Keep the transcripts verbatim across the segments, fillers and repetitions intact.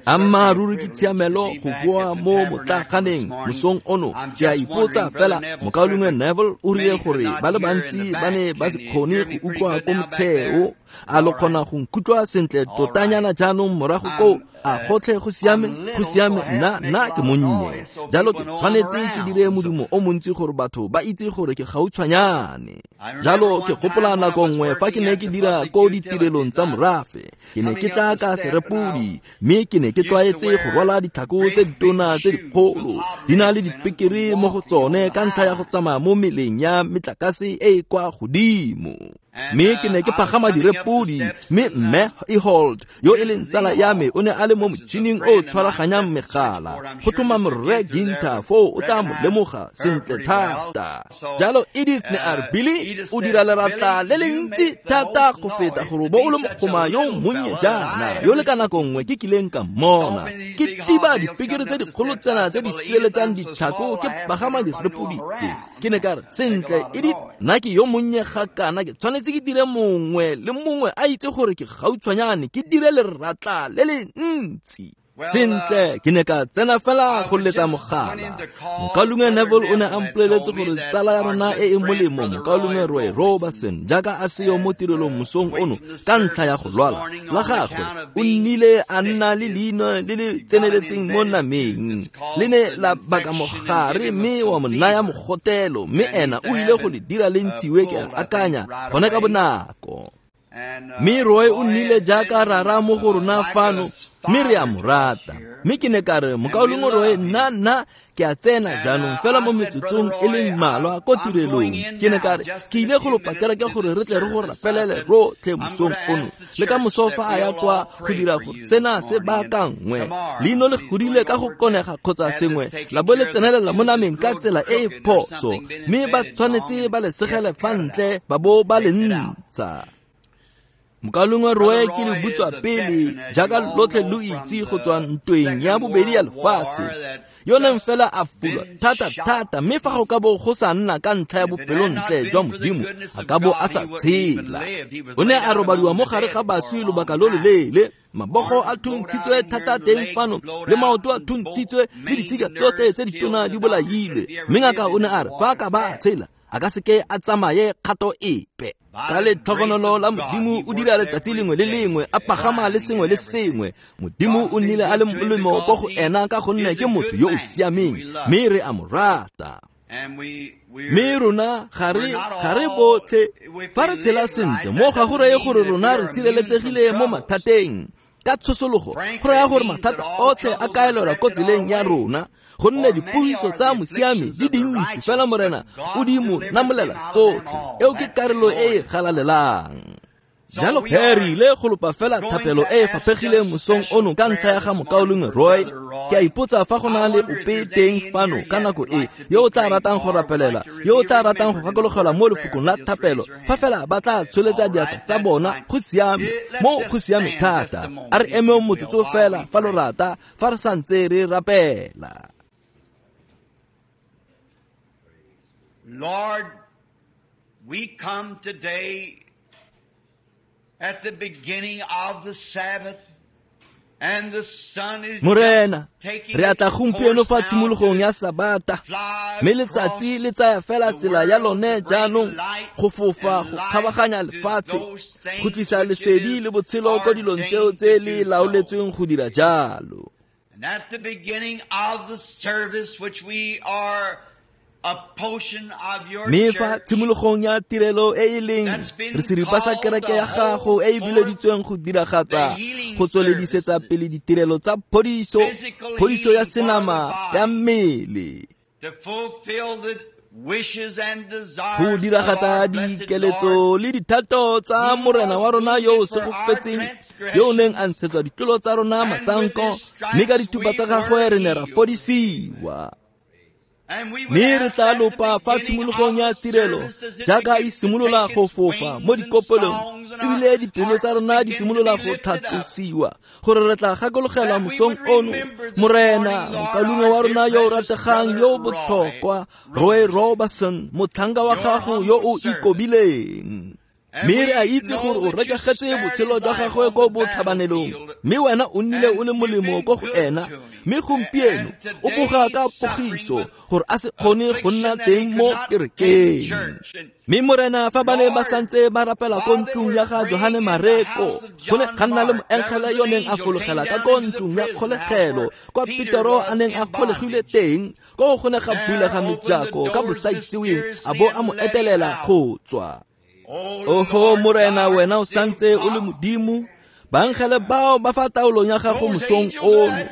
Ammaaruri ke tshiamelo go boa mo motlaganeng mosong ono. Ke a ipotsa fela, mokaulengwe Neville o rile gore ba le bantsi ba ne ba se kgone go utlwa ko motsheo. A lo kgona go nkutlwa sentle totanyana jaanong morago koo? A gotlhe go siame? Go siame, nna nna ke monnye. Jalo ke tshwanetse ke dire modumo o montsi gore batho ba itse gore ke gautshwanyane. Jalo ke gopola nako nngwe fa ke ne ke dira ko ditirelong tsa morafe. Ke ne ke tla ka serepodi, mme ke ne ke tlwaetse go rwala ditlhako tse ditona tse dikgolo di na le dipekere mo go tsone ka ntlha ya go tsamaya mo meleng ya metlakase e e kwa godimo. Mme ke ne ke pagama direpodi, mme mme Ehold yo e leng tsala ya me o ne a le mo motšhining o tshwaraganyang megala go tlhoma morre Ginter foo o tla mo lemoga sentle thata. Jalo Edith ne a re, Billy, o dira leratla le le ntsi thata go feta gore bo o le mogoma yo monnye jaana yo le ka nako nngwe ke kileng ka mmona. Ke tiba dipekere tse dikgolo tsena tse di sireletsang ditlhako ke pagama direpodi tse. Ke ne ka re, sentle Edith, nna ke yo monnye ga kana ke tshwanetse ke dire mongwe le mongwe a itse gore ke gautshwanyane ke dire leratla le le ntsi. Sentle, ke ne ka tsena fela go letsa mogala. Mokaulengwe Neville o ne a mpoleletse gore tsala ya rona e e molemo, mokaulengwe Roy Roberson, jaaka a seyo mo tirelong mosong ono ka ntlha ya go lwala la gagwe, o nnile a nna le leino le le tseneletseng mo nameng. Le ne la baka mogare mme wa mo naya mogotelo, mme ena o ile go le dira le ntshiwe ke akanya gone ka bonako. Mme Roy o nnile jaaka rara mo go rona fano, mme re a mo rata. Mme ke ne ka re, mokaulengwe Roy, nna nna ke a tsena jaanong fela mo metsotsong e leng mmalwa ko tirelong. Ke ne ka re, ke ile go lopa kereke gore re tle re go rapelele rotlhe mosong ono le ka moso fa a ya kwa go dira gore sena se baakangwe. Leino le godile ka go konega kgotsa sengwe la bo le tsenelela mo nameng ka tsela e e phoso, mme ba tshwanetse ba le segele fa ntle ba bo ba le ntsha. Mokaulengwe Roy ke le butswa pele jaaka lotlhe lo itse go tswa ntweng ya bobedi ya lefatshe, yo neng fela a fulwa thata thata, mme fa go ka bo go sa nna ka ntlha ya bopelontle jwa Modimo a ka bo a sa tshela. O ne a robadiwa mo gare ga baswi lobaka lo loleele, mabogo a thuntshitswe thata teng fano le maoto a thuntshitswe le ditshika tsotlhe tse ditona di bolailwe, mme ngaka o ne a re fa a ka ba a tshela a ka seke a tsamaye kgato epe. Ka letlhogonolo la Modimo o dira letsatsi lengwe le lengwe, a pagama le sengwe le sengwe. Modimo o nnile a le molemo ko go ena ka gonne ke motho yo o siameng, mme re a mo rata. Mme rona ga re ga re botlhe fa re tshela sentle mo ga go reye gore rona re sireletsegile mo mathateng. Ka tshosologo go raya gore mathata otlhe a kaelelwa ko tseleng ya rona, gonne dipogiso tsa mosiami di dintsi fela Morena o di mo namolela tsotlhe. Eo ke karolo e e galalelang. Jalo he re ile go lopa fela thapelo e e faphegileng mosong ono ka ntlha ya ga mokaulengwe Roy. Ke a ipotsa fa go na le ope teng fano ka nako e yo o tla ratang go rapelela, yo o tla ratang go gakologelwa mo lefokong la thapelo, fa fela ba tla tsholetsa diatla tsa bona. Go siame, mo go siame thata. A re emeng motsotso fela fa lo rata, fa re santse re rapela. Lord, we come today at the beginning of the Sabbath, and the sun is Morena, just taking re atla its gompieno course fa now tshimologong ya to Sabata, fly mme letsatsi le tsaya fela the tsela ya world lone to bring jaanong light go fofa and go life kgabaganya to lefatshe, those things go tlisa which it lesedi is le botshelo ko dilong tseo ordained tse to le do so. laoletsweng go dira jalo. And at the beginning of the service, which we are a portion of your Mme fa church, tshimologong ya tirelo e e leng that's been re seripa sa called kereke the ya gago whole e e forth bileditsweng go diragatsa the healing go tsweledisetsa services, pele ditirelo tsa phodiso, physical phodiso ya healing for the senama ya body, mmele, to fulfill the wishes and go desires of diragatsa our blessed Lord, dikeletso le dithato tsa who Morena was wa rona yo o wounded for our segofetseng, yo o neng a transgressions, ntshetswa ditlolo tsa rona and with matsanko, his mme ka stripes dithupa we tsa gagwe were re ne ra healed. fodisiwa. And we would Mme re ask tla at the lopa fa beginning tshimologong of ya the tirelo service as it jaaka e begins to simolola take go its fofa mo wings and dikopelong, songs and our ebile dipelo tsa hearts rona di begin to simolola be go lifted up, tlhatlosiwa gore re tla gakologelwa that we mosong would ono remember this Morena morning, Lord, mokaulengwe wa our dear rona yo o precious rategang brother yo o Roy botlhokwa, Roy Roberson, Roberson, motlhanka wa your gago yo humble o servant. ikobileng. Mme re a itse gore o rekegetse botshelo jwa gagwe ko botlhabanelong, mme wena o nnile o le molemo ko go ena, mme gompieno o boga ka pogiso gore a se kgone go nna teng mo kerekeng. Mme Morena, fa ba ne ba santse ba rapela ko ntlong ya ga Johane Mareko, go ne ga nna le moengele yo neng a fologela ka ko ntlong ya kgolegelo kwa Petero a neng a kgolegile teng, ko go ne ga bulega mejako ka bosaitseweng a bo a mo etelela go tswa. Oho Morena, wena o santse o le Modimo. Baangele bao ba fa taolong ya gago mosong ono.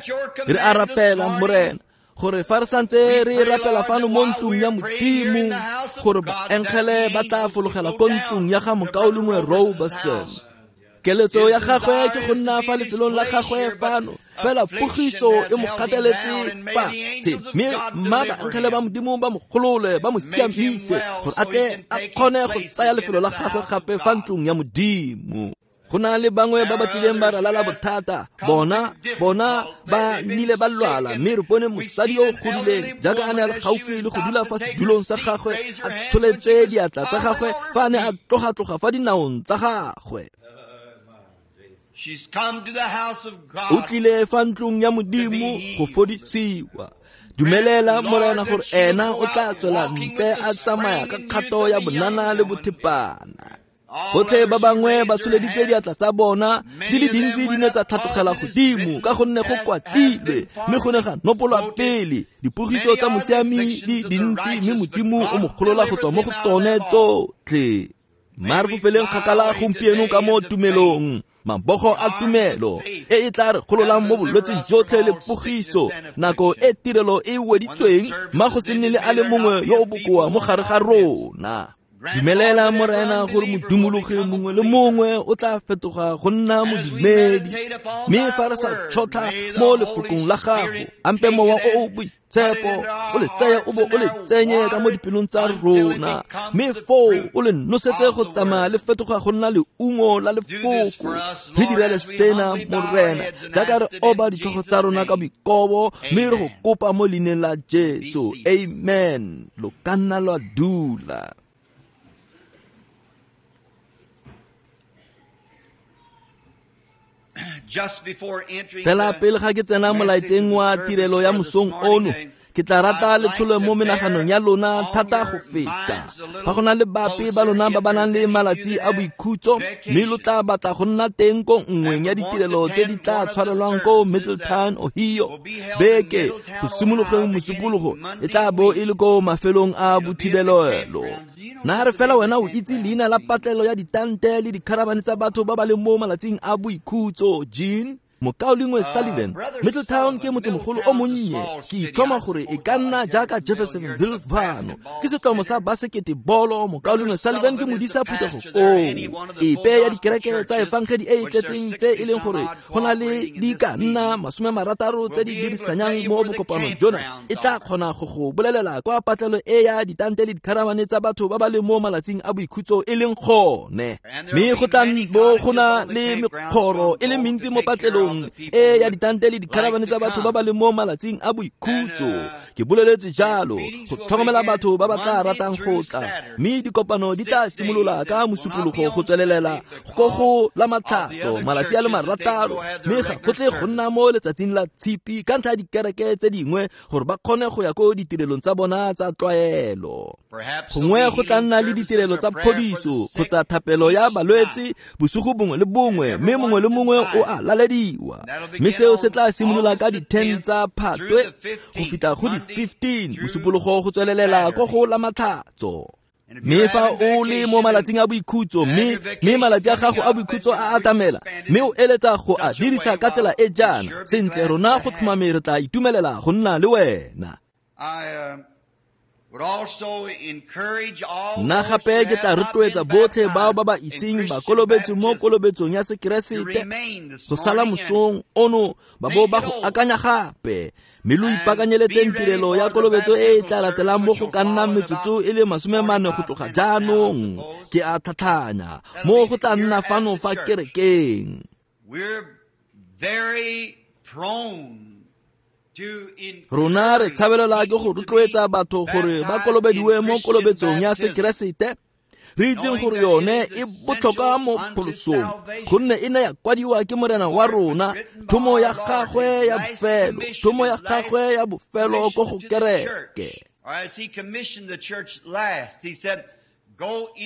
Re a rapela Morena gore fa re santse re rapela fano mo ntlong ya Modimo, gore baangele ba tla fologela ko ntlong ya ga mokaulengwe Roberson. Keletso ya gagwe ke go nna fa lefelong la gagwe fano, fela pogiso e mo gateletse fatshe, mme mma baangele ba Modimo ba mo golole, ba mo siamise gore a tle a kgone go tsaya lefelo la gagwe gape fa ntlong ya Modimo. Go na le bangwe ba ba tlileng ba ralala bothata, bona bona ba nnile ba lwala, mme re bone mosadi yo o godileng jaaka a ne a le gaufi le go dula fa sedulong sa gagwe, a tsholetse diatla tsa gagwe fa a ne a tloga-tloga fa dinaong tsa gagwe. O tlile fa ntlong ya Modimo go fodisiwa. Dumelela Morena gore ena o tla tswela ntle a tsamaya ka kgato ya bonana le bothepana. Botlhe ba bangwe ba tsholeditse diatla tsa bona, di le dintsi di ne tsa tlhatlogela godimo ka gonne go kwatilwe, mme go ne ga nopolwa pele. Dipogiso tsa mosiami di dintsi, mme Modimo o mo golola go tswa mo go tsone tsotlhe. Mma re fofeleng kgakala gompieno ka mo tumelong, mabogo a tumelo e e tla re gololang mo bolwetseng jotlhe le pogiso, nako e tirelo e weditsweng, mma go se nne le a le mongwe yo o bokoa mo gare ga rona. Dumelela Morena gore modumologi mongwe le mongwe o tla fetoga go nna modumedi, mme fa re sa tšhotlha mo lefokong la gago, ampe mowa o o boitshepo o le tseye o bo o le tsenye ka mo dipelong tsa rona, mme foo o le nosetse go tsamaya le fetoga go nna leungo la lefoko. Re direle sena Morena jaaka re oba ditlhogo tsa rona ka boikobo, mme re go kopa mo leineng la Jesu. Amen. Lo ka nna lwa dula. Fela pele ga ke tsena molaetseng wa tirelo ya mosong ono, ke tla rata letsholo mo menaganong ya lona thata go feta. Fa go na le bape ba lona ba ba nang le malatsi a boikhutso, mme lo tla batla go nna teng ko nngweng ya ditirelo tse di tla tshwarelwang ko Middletown, Ohio, beke go simologeng Mosupologo e tla bo e le ko mafelong a bothibelelo. Na re fela wena o itse leina la patlelo ya ditante le dikharabane tsa batho ba ba leng mo malatsing a boikhutso, Jean? Mokaulengwe Sullivan, Middletown ke motsemogolo o monnye. Ke itlhoma gore e ka nna jaaka Jeffersonville fano. Ke setlomo sa basekete bolo. Mokaulengwe Sullivan ke modisa phuthego koo. Epe ya dikereke tsa efangedi e e tletseng tse e leng gore go na le di ka nna masome marataro tse di dirisanyang mo bokopanong jona, e tla kgona go go bolelela kwa patlelo e ya ditante le dikharabane tsa batho ba ba leng mo malatsing a boikhutso e leng gone. Mme go tla bo go na le mekgoro e le mentsi mo patlelong e ya ditante le dikharabane tsa batho ba ba leng mo malatsing a boikhutso. Ke boleletse jalo go tlhokomela batho ba ba tla ratang go tla, mme dikopano di tla simolola ka Mosupologo go tswelelela go go la Matlhatso malatsi a le marataro, mme ga go tle go nna mo letsatsing la Tshipi ka ntlha ya dikereke tse dingwe gore ba kgone go ya ko ditirelong tsa bona tsa tlwaelo. Gongwe go tla nna le ditirelo tsa phodiso kgotsa thapelo ya balwetse bosigo bongwe le bongwe, mme mongwe le mongwe o a lalediwa. Mme seo se tla simolola ka di-ten tsa Phatwe go fitlha go di-fifteen Mosupologo go tswelelela ko go la Matlhatso. Mme fa o le mo malatsing a boikhutso, mme mme malatsi a gago a boikhutso a atamela, mme o eletsa go a dirisa ka tsela e jaana, sentle rona go tlhomame re tla itumelela go nna le wena. Nna gape ke tla rotloetsa botlhe bao ba ba iseng ba kolobetswe mo kolobetsong ya Sekeresete go sala mosong ono ba bo ba go akanya gape, mme lo ipaakanyeletseng tirelo ya kolobetso e e tla latelang mo go ka nnang metsotso e le masome mane go tloga jaanong. Ke a tlhatlhanya mo go tla nna fano fa kerekeng. Rona re tshabelela ke go rotloetsa batho gore ba kolobediwe mo kolobetsong ya Sekeresete, Re itseng gore yone e botlhokwa mo pholosong, gonne e ne ya kwadiwa ke Morena wa rona, thomo ya gagwe ya bofelo, thomo ya gagwe ya bofelo ko go kereke.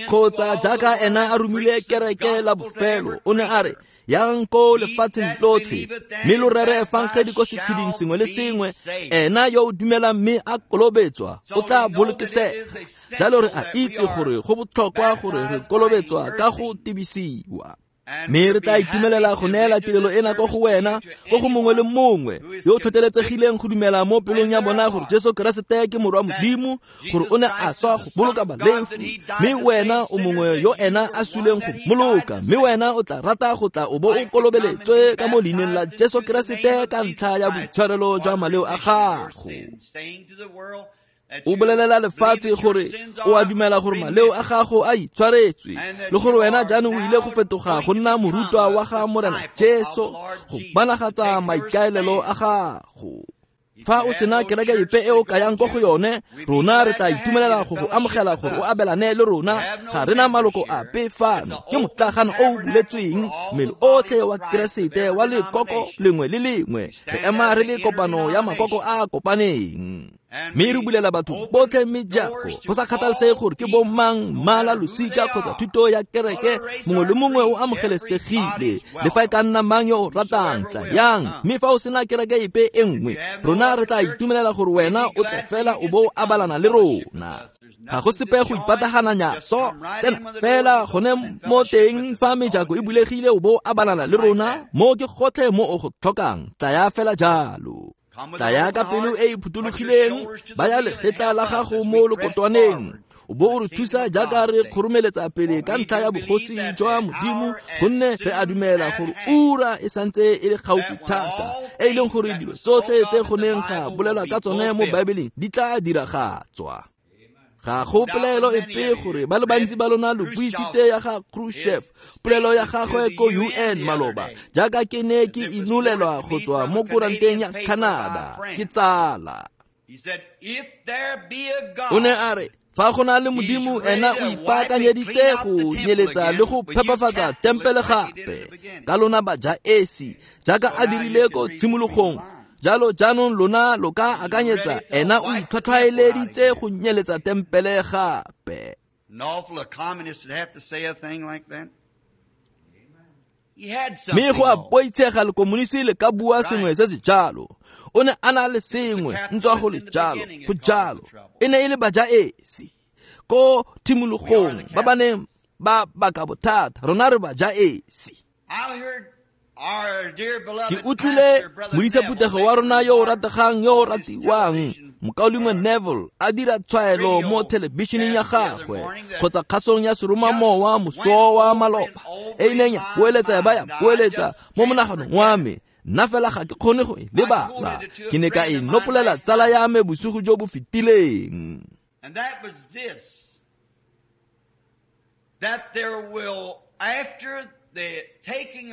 Kgotsa jaaka ena a romile kereke la bofelo, o ne a re, yang ko lefatsheng lotlhe, mme lo rere efangedi ko setsheding sengwe le sengwe, ena yo o dumelang mme a kolobetswa o tla bolokesega. Jalo re a itse gore go botlhokwa gore re kolobetswa ka go tebisiwa. Mme re tla itumelela go neela tirelo ena ko go wena, ko go mongwe le mongwe yo o tlhotlheletsegileng go dumela mo pelong ya bona gore Jesu Keresete ke Morwa Modimo, gore o ne a swa go boloka balefi, mme wena o mongwe yo ena a suleng go mmoloka, mme wena o tla rata go tla o bo o kolobeletswe ka mo leineng la Jesu Keresete ka ntlha ya boitshwarelo jwa maleo a gago. O bolelela lefatshe gore o a dumela gore maleo a gago a itshwaretswe, le gore wena jaanong o ile go fetoga go nna morutwa wa ga Morena Jesu go bonagatsa maikaelelo a gago. Fa o sena kereke epe e o kayang ko go yone, rona re tla itumelela go go amogela gore o abelane le rona. Ga rena maloko ape fano, ke motlagano o o buletsweng mmele otlhe wa Keresete wa lekoko lengwe le lengwe. Re ema re le kopano ya makoko a a kopaneng, mme re bulela batho botlhe mejako, go sa kgathalesege gore ke bomang, mmala, losika kgotsa thuto ya kereke. Mongwe le mongwe o amogelesegile, le fa e ka nna mang yo o ratang, tla yang. Mme fa o sena kereke epe e nngwe, rona re tla itumelela gore wena o tle fela o bo o abalana le rona. Ga go sepe go ipatagananya so, tsena fela gone mo teng fa mejako e bulegile o bo o abalana le rona. Mo ke gotlhe mo o go tlhokang, tlaya fela jalo. Tlaya ka pelo e e phuthologileng, baya legetla la gago mo lokotwaneng, o bo o re thusa jaaka re kgoromeletsa pele ka ntlha ya bogosi jwa Modimo, gonne re a dumela gore ura e santse e le gaufi thata, e e leng gore dilo tsotlhe tse go neng ga bolelwa ka tsone mo Baebeleng di tla diragatswa. Ga go polelo epe gore ba le bantsi ba lona lo buisitse ya ga Khrushchev, polelo ya gagwe ko U N maloba, jaaka ke ne ke inolelwa go tswa mo koranteng ya Canada ke tsala. O ne a re, fa go na le Modimo, ena o ipaakanyeditse go nyeletsa le go phepafatsa tempele gape ka lona bajaesi, jaaka a dirile ko tshimologong. Jalo jaanong lona lo ka akanyetsa ena o itlhwatlhwaeleditse go nyeletsa tempele gape. Mme go a boitshega lekomonisi le ka bua sengwe se se jalo. O ne a na le sengwe ntswa go le jalo, go jalo. E ne e le bajaesi ko tshimologong ba ba neng ba baka bothata, rona re bajaesi. Ke utlwile modisa phuthego wa rona yo o rategang yo o ratiwang, Mokaulengwe Neville, a dira tshwaelo mo thelebišeneng ya gagwe kgotsa kgasong ya seromamowa moso wa maloba, e ileng ya boeletsa ya ba ya boeletsa mo monaganong wa me. Nna fela ga ke kgone go e lebala. Ke ne ka e nopolela tsala ya me bosigo jo bo fetileng.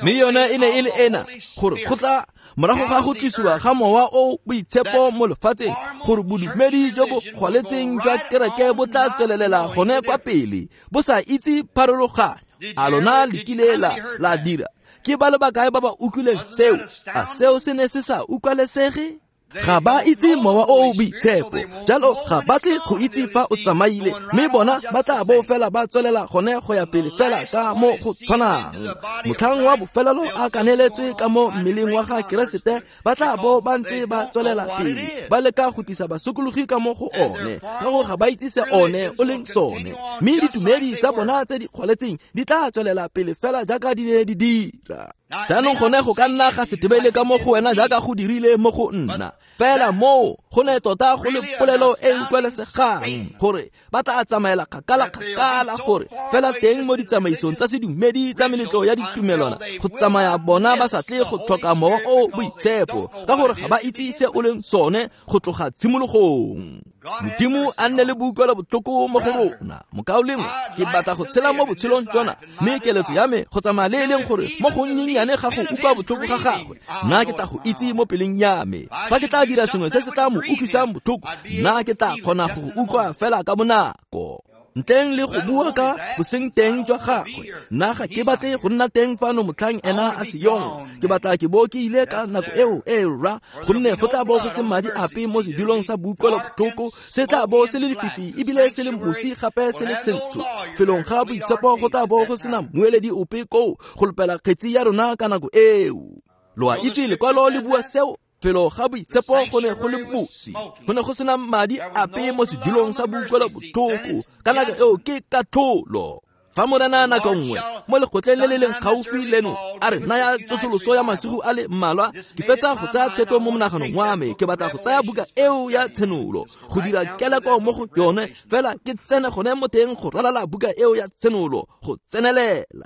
Mme yone e ne e le ena, gore go tla morago ga go tlisiwa ga mowa o boitshepo mo lefatsheng, gore bodumedi jo bo gwaletseng jwa kereke bo tla tswelelela gone kwa pele, bo sa itse pharologanyo. A lona le kile la la dira? Ke ba le bakae ba ba utlwileng seo? A seo se ne se sa utlwalesege? Ga ba itse mowa o o boitshepo, jalo ga ba tle go itse fa o tsamaile, mme bona ba tla bo fela ba tswelela gone go ya pele fela ka mo go tshwanang. Motlhang wa bofelelo a kaneletswe ka mo mmeleng wa ga Keresete, ba tla bo ba ntse ba tswelela pele ba leka go tlisa basokologi ka mo go one, ka gore ga ba itse se one o leng sone. Mme ditumedi tsa bona tse di kgwaletseng di tla tswelela pele fela jaaka di ne di dira. Jaanong gone go ka nna ga se tebele ka mo go wena jaaka go dirile mo go nna. Fela moo go ne tota go le polelo e utlwalesegang gore ba tla tsamaela kgakala kgakala, gore fela teng mo ditsamaisong tsa sedumedi tsa meletlo ya ditumelwana go tsamaya bona ba sa tle go tlhoka mowa o boitshepo, ka gore ga ba itse se o leng sone go tloga tshimologong. Modimo a nne le boutlwelo botlhoko mo go rona. Mokaulengwe, ke batla go tshela mo botshelong jona, mme keletso ya me go tsamaya le e leng gore mo go nnyenyane ga go utlwa botlhoko ga gagwe, nna ke tla go itse mo peleng ya me. Fa ke tla dira sengwe se se tla mo utlwisang botlhoko, nna ke tla kgona go go utlwa fela ka bonako. Ntleng le go bua ka boseng teng jwa gagwe, nna ga ke batle go nna teng fano motlhang ena a seyong. Ke batla ke bo ke ile ka nako eo e rra, gonne go tla bo go se madi ape mo sedulong sa boutlwelobotlhoko, se tla bo se le lefifi ebile se le mosi gape se le sentsho. Felong ga boitshepo go tla bo go sena mmueledi ope koo go lopela kgetsi ya rona ka nako eo. Lo a itse lekwalo le bua seo. Felo ga boitshepo go ne go le mosi, go ne go sena madi ape mo sedulong sa boutlwelobotlhoko ka nako eo ke katlholo. Fa Morena nako nngwe mo lekgotleng le le leng gaufi leno a re naya tsosoloso ya masigo a le mmalwa, ke fetsa go tsaya tshwetso mo monaganong wa me. Ke batla go tsaya buka eo ya Tshenolo go dira keleko mo go yone, fela ke tsene gone mo teng go ralala buka eo ya Tshenolo go tsenelela.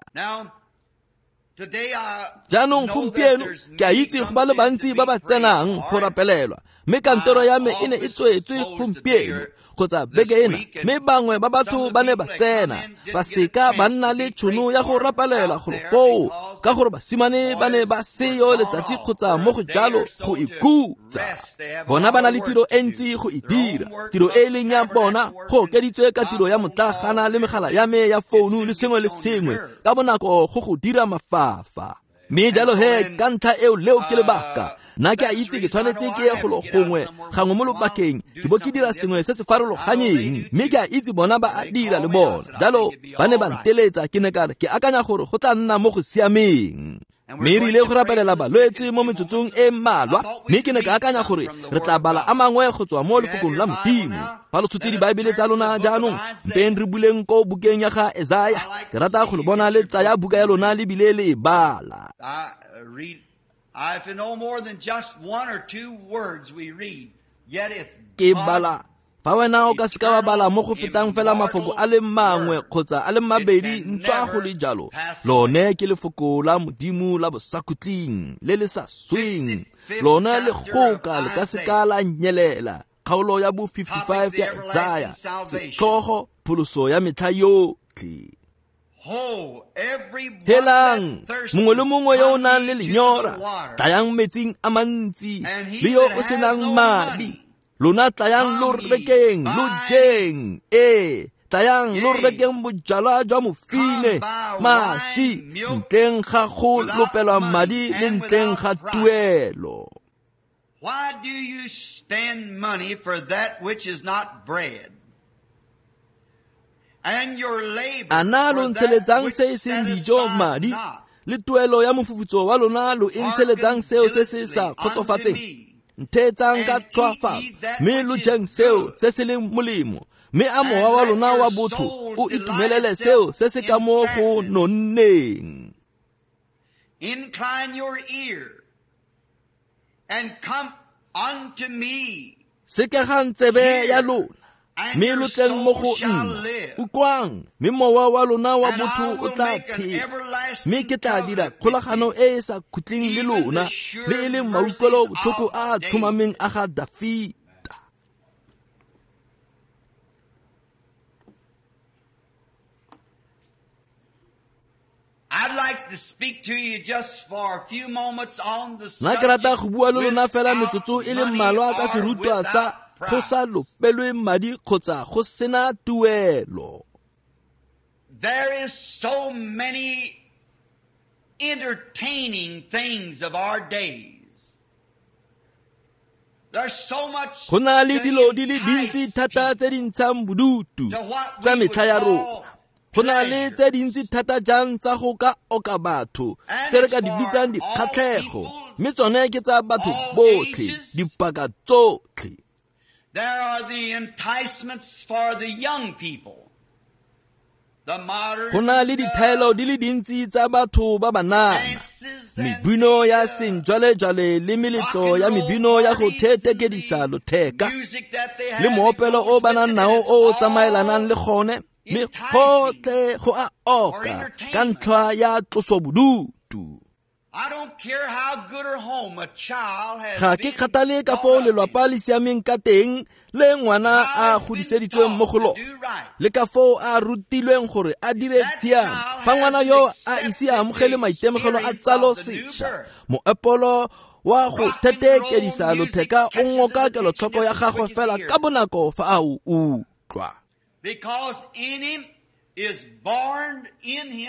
Jaanong gompieno ke a itse go ba le bantsi ba ba tsenang go rapelelwa, mme kantoro ya me e ne e tswetswe gompieno kgotsa beke ena, mme bangwe ba batho ba ne ba tsena ba seka ba nna le tšhono ya go rapelela golo foo, ka gore basimane ba ne ba seyo letsatsi kgotsa mo go jalo go ikhutsa. Bona ba na le tiro e ntsi go e dira, tiro e e leng ya bona go okeditswe ka tiro ya motlagana le megala ya me ya founu le sengwe le sengwe ka bonako go go dira mafafa. Mme jalo he ka ntlha eo leo ke lebaka nna ke a itse ke tshwanetse ke ye golo gongwe gangwe mo lobakeng ke bo ke dira sengwe se se farologaneng, mme ke a itse bona ba a dira le bona. Jalo ba ne ba nteletsa, ke ne ka re ke akanya gore go tla nna mo go siameng. Mme re ile go rapelela balwetse mo metsotsong e mmalwa, mme ke ne ka akanya gore re tla bala a mangwe go tswa mo lefokong la Modimo. Fa lo tshotse dibaebele tsa lona jaanong, mpeng re buleng ko bukeng ya ga Esaya. Ke rata go le bona le tsaya buka ya lona le bile le e bala. Ke bala. Fa wena o ka seka wa bala mo go fetang fela mafoko a le mangwe kgotsa a le mabedi ntswa go le jalo, lone ke lefoko la Modimo la bosakhutleng le le sa sweng, lone le goka le ka seka la nyelela. Kgaolo ya bo fifty-five ya Esaya, setlhogo pholoso ya metlha yotlhe. Helang mongwe le mongwe yo o nang le lenyora, tlayang metsing a mantsi, le yo o senang madi, lona tlayang lo rekeng, lo jeng. Ee, tlayang lo rekeng bojalwa jwa mofine, maši, ntleng ga go lopelwa madi le ntleng ga tuelo. Why do you spend money for that which is not bread? And your labor A na lo for that ntsheletsang which se e seng dijo satisfies madi, not? le tuelo ya mofufutso wa lona lo e ntsheletsang Hearken seo se se sa diligently unto kgotsofatseng? me, Ntheetsang ka and eat tlhoafalo, ye that mme lo which is jeng seo good, se se leng molemo, mme a and mowa wa let lona your wa botho soul o delight itumelele seo itself se se ka in mo go fatness. nonneng. Incline your ear and come unto me. Sekegang tsebe ya Hear, lona, and mme your lo tleng mo soul go shall nna. live. Utlwang, mme mowa wa lona wa And I botho o will tla make an tshela, mme everlasting ke tla dira covenant with kgolagano thee, e e sa khutleng le even lona, the sure le e leng mercies mautlwelobotlhoko of a a David. tlhomameng a ga Dafita. I'd like to speak to you just for a few moments on the Nna ke rata subject go bua le lona fela without metsotso e le money mmalwa ka or serutwa sa without go sa price. lopelwe madi kgotsa go sena tuelo. There is so many entertaining things of our days. There's so much Go na le to dilo di le dintsi entice thata people tse di ntshang bodutu to what tsa we would metlha ya rona. call Go na le pleasure. tse dintsi thata jang tsa go ka oka batho And tse re it's ka di for bitsang all dikgatlhego, people, mme tsone ke tsa batho all botlhe, ages. dipaka tsotlhe. There are the enticements for the young people. The modern Go na le dithaelo di le dintsi tsa batho ba banana, dances and mebino ya the, uh, sejwalejwale le rock meletlo and ya roll mebino ya go parties and the thetekedisa lotheka, music that they le have that moopelo goes o ba with nang it, and nao it's o o tsamaelanang all le gone, mme enticing gotlhe go a for oka ka entertainment. ntlha ya tlosobodutu. I don't care how good or home a child has Ga ke been kgathale ka brought foo up in. lelwapa le siameng ka teng le ngwana a Child's been godiseditsweng mo taught go to lona, do right. le ka foo a rutilweng gore a dire That tshiamo. child Fa ngwana hasn't yo a accepted ise a amogele the maitemogelo a experience tsalo of the new sešwa, birth. moepolo wa go Rock and roll thetekedisa music lotheka o catches his ngoka attention kelotlhoko ya just as gagwe quick as fela he ka hears it. bonako fa a o utlwa.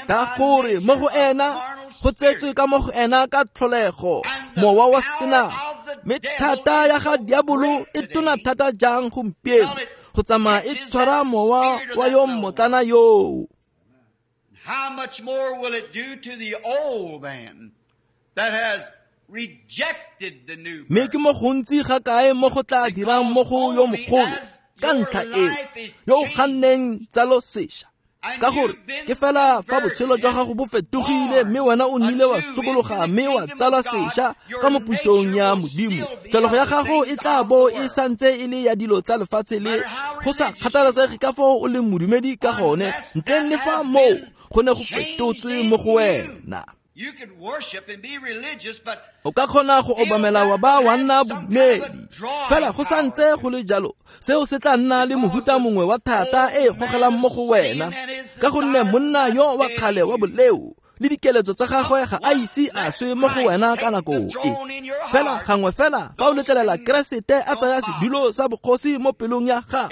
Ka gore mo go ena go tsetswe ka mo go ena ka tlholego mowa wa senama, mme thata ya ga diabolo e tona thata jang gompieno go tsamaya e tshwara mowa wa yo mmotlana yoo. How much more will it do to the old man that has rejected the new Mme ke mo gontsi ga kae mo go tla dirang mo go yo mogolo ka ntlha eo yo o ganneng tsalo sešwa. Ka gore ke fela fa botshelo jwa gago bo fetogile mme wena o nnile wa sokologa mme wa tsalwa sešwa ka mo pusong ya Modimo, tlholego ya gago e tla bo e santse e le ya dilo tsa lefatshe le go sa kgathalesege ka foo o leng modumedi ka gone, ntleng le fa moo go ne go fetotswe mo go wena. O ka kgona go obamela wa ba wa nna bodumedi, fela go santse go le jalo seo se tla nna le mohuta mongwe wa thata e e gogelang mo go wena, ka gonne monna yo wa kgale wa boleo le dikeletso tsa gagwe ga a ise a swe mo go wena ka nako e. Fela gangwe fela fa o letlelela Keresete a tsaya sedulo sa bogosi mo pelong ya gago,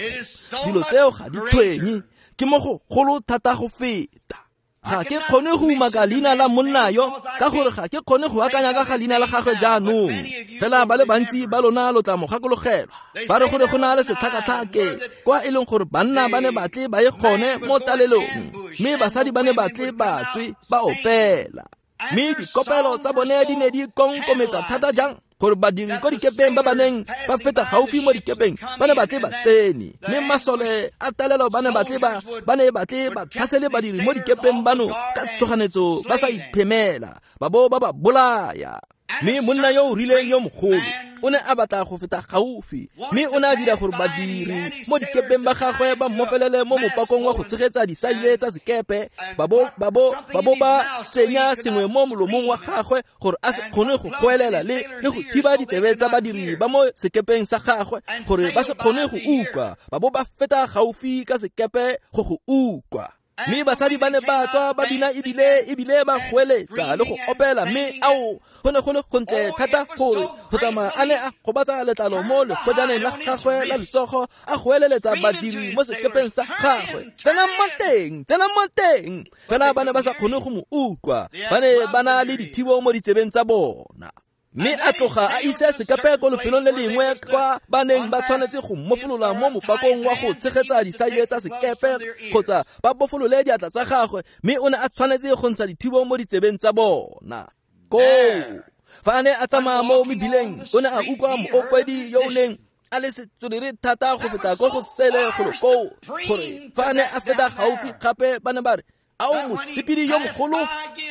dilo tseo ga di tshwenye, ke mo go golo thata go feta. Ga ke kgone go umaka leina la monna yo ka gore ga ke kgone go akanya ka ga leina la gagwe jaanong, fela ba le bantsi ba lona lo tla mo gakologelwa. Ba re gore go na le setlhakatlhake kwa e leng gore banna ba ne batle ba ye gone mo talelong, mme basadi ba ne batle ba tswe ba opela, mme dikopelo tsa bone di ne di konkometsa thata jang gore badiri ko dikepeng ba ba neng ba feta gaufi mo dikepeng ba ne batle ba tsene, mme masole a talelo ba ne batle ba ba ne batle ba tlhasele badiri mo dikepeng bano ka tshoganetso ba sa iphemela, ba bo ba ba bolaya. Mme monna yo o rileng yo mogolo o ne a batla go feta gaufi, mme o ne a dira gore badiri mo dikepeng ba gagwe ba mmofelele mo mopakong wa go tshegetsa disaile tsa sekepe, ba bo ba bo ba bo ba tsenya sengwe mo molomong wa gagwe gore a se kgone go goelela le le go thiba ditsebe tsa badiri ba mo sekepeng sa gagwe gore ba se kgone go utlwa, ba bo ba feta gaufi ka sekepe go go utlwa. Mme basadi ba ne ba tswa ba bina ebile ebile ba goeletsa le go opela, mme ao go ne go le gontle thata gore go tsamaya a ne a gobatsa letlalo mo legojaneng la gagwe la letsogo a goeleletsa badiri mo sekepeng sa gagwe, tsenang mo teng, tsenang mo teng. Fela ba ne ba sa kgone go mo utlwa, ba ne ba na le dithibo mo ditsebeng tsa bona. Mme a tloga a ise sekepe ko lefelong le lengwe kwa ba neng ba tshwanetse go mmofolola mo mopakong wa go tshegetsa disaile tsa sekepe kgotsa ba bofolole diatla tsa gagwe, mme o ne a tshwanetse go ntsha dithibo mo ditsebeng tsa bona. Koo fa a ne a tsamaya mo mebileng o ne a utlwa moopedi yo o neng a le setswerere thata go feta ko go sele golo koo, gore fa a ne a feta gaufi gape ba ne ba re, ao mosepedi yo mogolo,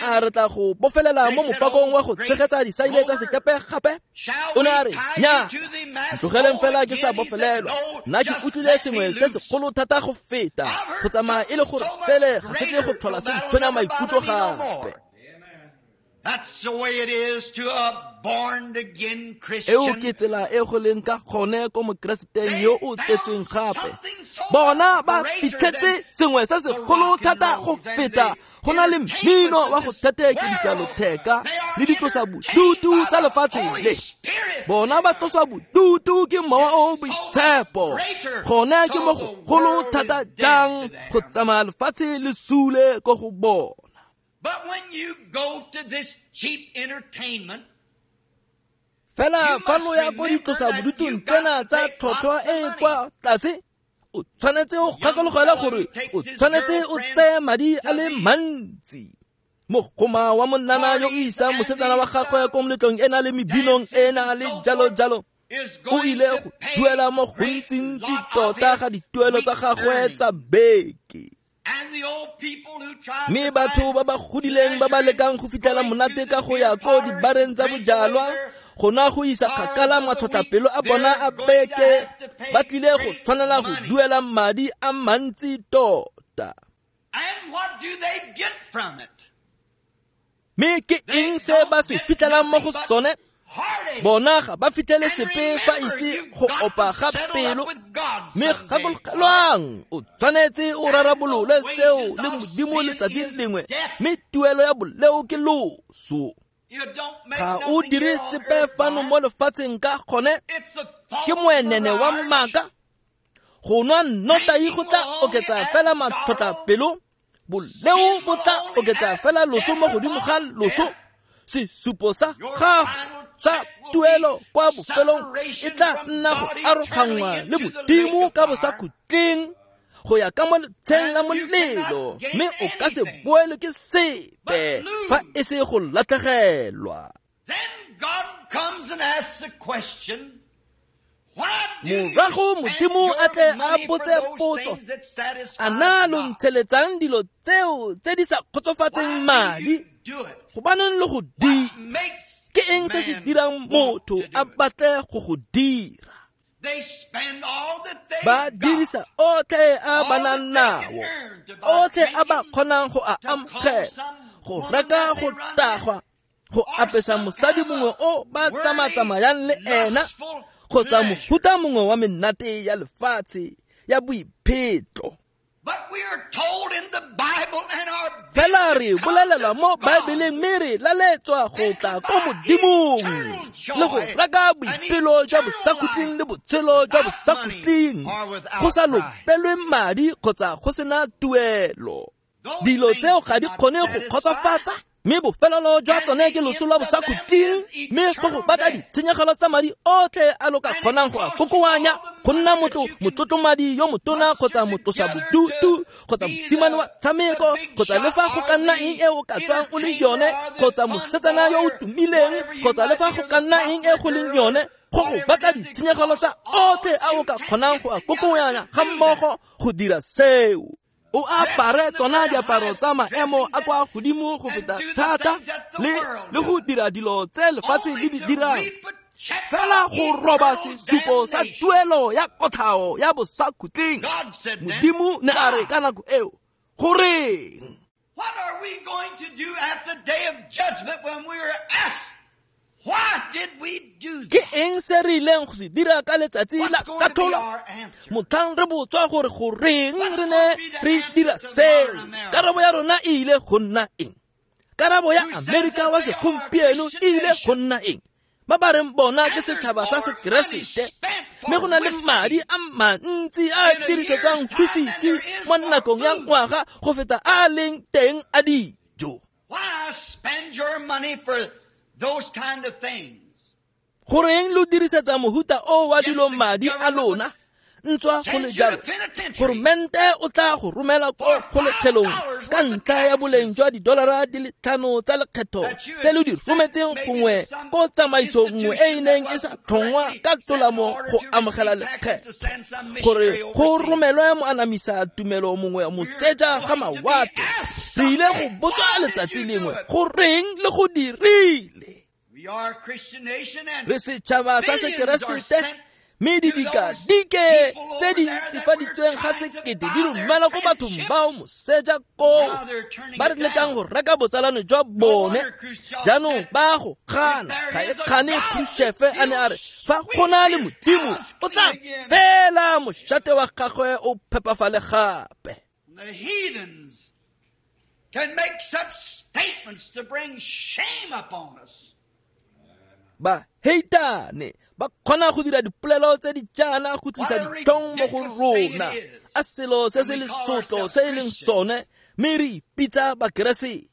a re tla go bofelela mo mopakong wa go tshegetsa disaile tsa sekepe gape? O ne a re, nya, ntlogeleng fela ke sa bofelelwa, nna ke utlwile sengwe se segolo thata go feta go tsamaya e le gore sele ga se tle go tlhola se ntshwenya maikutlo gape. Eo ke tsela e go leng ka gone ko mokereseteng yo o tsetsweng gape. Bona ba fitlhetse sengwe se segolo thata go feta go na le mmino wa go thetheekedisa lotheka le ditlosa bodutu tsa lefatshe le. Bona ba tloswa bodutu ke mowa o o boitshepo. Gone ke mo go golo thata jang go tsamaya lefatshe le sule ko go bona. But when you go to this cheap entertainment, fela fa lo ya ko ditlosa bodutung tsena tsa tlhotlhwa e kwa tlase, o tshwanetse o gakologelwa gore o tshwanetse o tseye madi a le mantsi. Mogoma wa monnana yo o isang mosetsana wa gagwe ko moletlong e na le mebinong e na le jalo jalo, o ile go duela mo gontsintsi tota ga dituelo tsa gagwe tsa beke. Mme batho ba ba godileng ba ba lekang go fitlhela monate ka go ya ko dibareng tsa bojalwa, go na go isa kgakala matlhotlhapelo a bona a beke, ba tlile go tshwanela go duela madi a mantsi tota. Mme ke eng se ba se fitlhelang mo go sone? Bona ga ba fitlhele sepe fa ise go opa ga pelo. Mme gakologelwang, o tshwanetse o rarabolole seo le Modimo letsatsi lengwe, mme tuelo ya boleo ke loso. Ga o dire sepe fano mo lefatsheng ka gone, ke moenene wa maaka. Go nwa nnotagi go tla oketsa fela matlhotlhapelo, boleo bo tla oketsa fela loso mo godimo ga loso. Sesupo sa gago sa tuelo kwa bofelong e tla nna go aroganngwa le Modimo ka bosakhutleng go ya ka mo letsheng la molelo, mme o ka se boelwe ke sepe fa e se go latlhegelwa. Morago Modimo a tle a botse potso, a na lo ntsheletsang dilo tseo tse di sa kgotsofatseng madi? Gobaneng le go dira? Ke eng se se dirang motho a batle go go dira? Ba dirisa otlhe a ba nang nao, otlhe a ba kgonang go a amogela, go reka go tagwa, go apesa mosadi mongwe o ba tsamatsamayang le ena, kgotsa mohuta mongwe wa menate ya lefatshe ya boiphetlo. Fela re bolelelwa mo Baebeleng mme re laletswa go tla ko Modimong le go reka boipelo jwa bosakhutleng le botshelo jwa bosakhutleng go sa lopelwe madi kgotsa go sena tuelo. Dilo tseo ga di kgone go kgotsofatsa, mme bofelelo jwa tsone ke loso lwa bosakhutleng, mme go go batla ditshenyegelo tsa madi otlhe a lo ka kgonang go a kokoanya go nna motho motlotlomadi yo motona kgotsa motlosa bodutu kgotsa mosimane wa tshameko kgotsa le fa go ka nna eng e o ka tswang o le yone kgotsa mosetsana yo o tumileng kgotsa le fa go ka nna eng e go leng yone, go go batla ditshenyegelo tsa otlhe a o ka kgonang go a kokoanya ga mmogo go dira seo. O apare tsona diaparo tsa maemo a kwa godimo go feta thata le le go dira dilo tse lefatshe le di dirang, fela go roba sesupo sa tuelo ya kotlhao ya bosakhutleng. Modimo ne a re ka nako eo, goreng? What are we going to do at the day of judgment when we are asked, why did we do that? Ke eng se re ileng go se dira ka letsatsi la katlholo motlhang re botswa gore goreng re ne re dira seo? Karabo ya rona e ile go nna eng? Karabo ya Amerika wa segompieno e ile go nna eng? Ba ba reng bona ke setšhaba sa Sekeresete, mme go na le madi a mantsi a a dirisetsang whisky mo nakong ya ngwaga go feta a leng teng a dijo. Why spend your money for those kind of things? Goreng lo dirisetsa mohuta o wa dilo madi a lona? Ntswa go le jalo, goromente o tla go romela ko kgolegelong ka ntlha ya boleng jwa didolara di le tlhano tsa lekgetho tse lo di rometseng gongwe ko tsamaiso nngwe e e neng e sa tlhongwa ka tolamo go amogela lekgetho, gore go romelwe moanamisa tumelo mongwe moseja ga mawatle. Re ile go botswa letsatsi lengwe goreng le go dirile. Re setšhaba sa Sekeresete, mme didikadike tse di ntsifaditsweng ga sekete di romela ko bathong bao moseja koo ba re lekang go reka botsalano jwa bone. Jaanong ba go gana, ga e kgane Khrushchev a ne a re fa go na le Modimo o tla fela mošate wa gagwe o phepafale gape. The heathens can make such statements to bring shame upon us. Baheitane ba kgona go dira dipolelo tse di jaana go tlisa ditlhong mo go rona, a selo se se lesotlo se e leng sone, mme re ipitsa Bakeresete.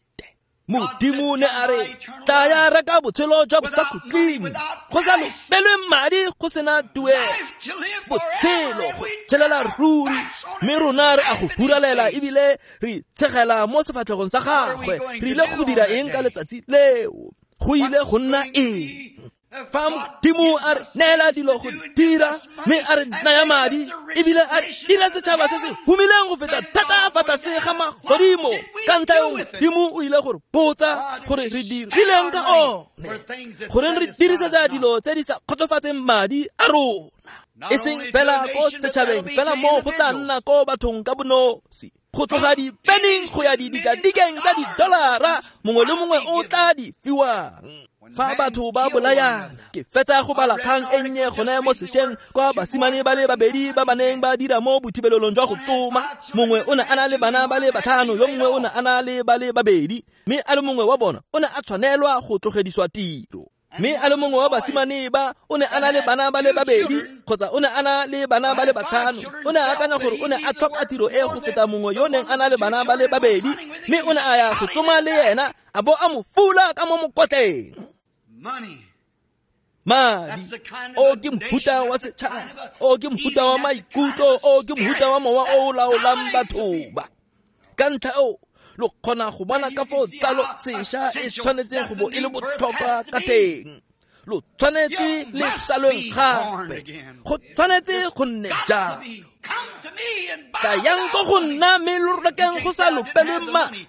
Modimo ne a re tlaya reka botshelo jwa bosakhutleng go sa lopelwe madi go sena tuelo, botshelo go tshelela ruri, mme rona re a go huralela ebile re tshegela mo sefatlhegong sa gagwe. Re ile go dira eng ka letsatsi leo? Go ile go nna eng? Fa Modimo a re neela dilo go dira, mme a re naya madi ebile a dira setšhaba se se humileng go feta thata fa tlase ga magodimo, ka ntlha eo Modimo o ile gore botsa gore re dirileng ka one, goreng re dirisetsa dilo tse di sa kgotsofatseng madi a rona, e seng fela ko setšhabeng fela mo go tla nna ko bathong ka bonosi, go tloga dipeneng go ya didikadikeng tsa didolara mongwe le mongwe o tla di fiwang. Fa batho ba bolayana, ke fetsa go bala kgang e nnye gone mo sešweng kwa basimane ba le babedi ba ba neng ba dira mo bothibelelong jwa go tsoma. Mongwe o ne a na le bana ba le batlhano, yo mongwe o ne a na le ba le babedi, mme a le mongwe wa bona o ne a tshwanelwa go tlogediswa tiro. Mme a le mongwe wa basimane ba o ne a na le bana ba le babedi kgotsa o ne a na le bana ba le batlhano. O ne a akanya gore o ne a tlhoka tiro e go feta mongwe yo neng a na le bana ba le babedi, mme o ne a ya go tsoma le ena a bo a mo fula ka mo mokotleng. Madi o ke mohuta wa setšhaba, o ke mohuta wa maikutlo, o ke mohuta wa mowa o o laolang batho ba. Ka ntlha eo lo kgona go bona ka foo tsalo sešwa e tshwanetseng go bo e le botlhokwa ka teng. Lo tshwanetse le tsalweng gape, go tshwanetse go nne jalo. Tlayang ko go nna mme lo rekeng go sa lopelwe madi.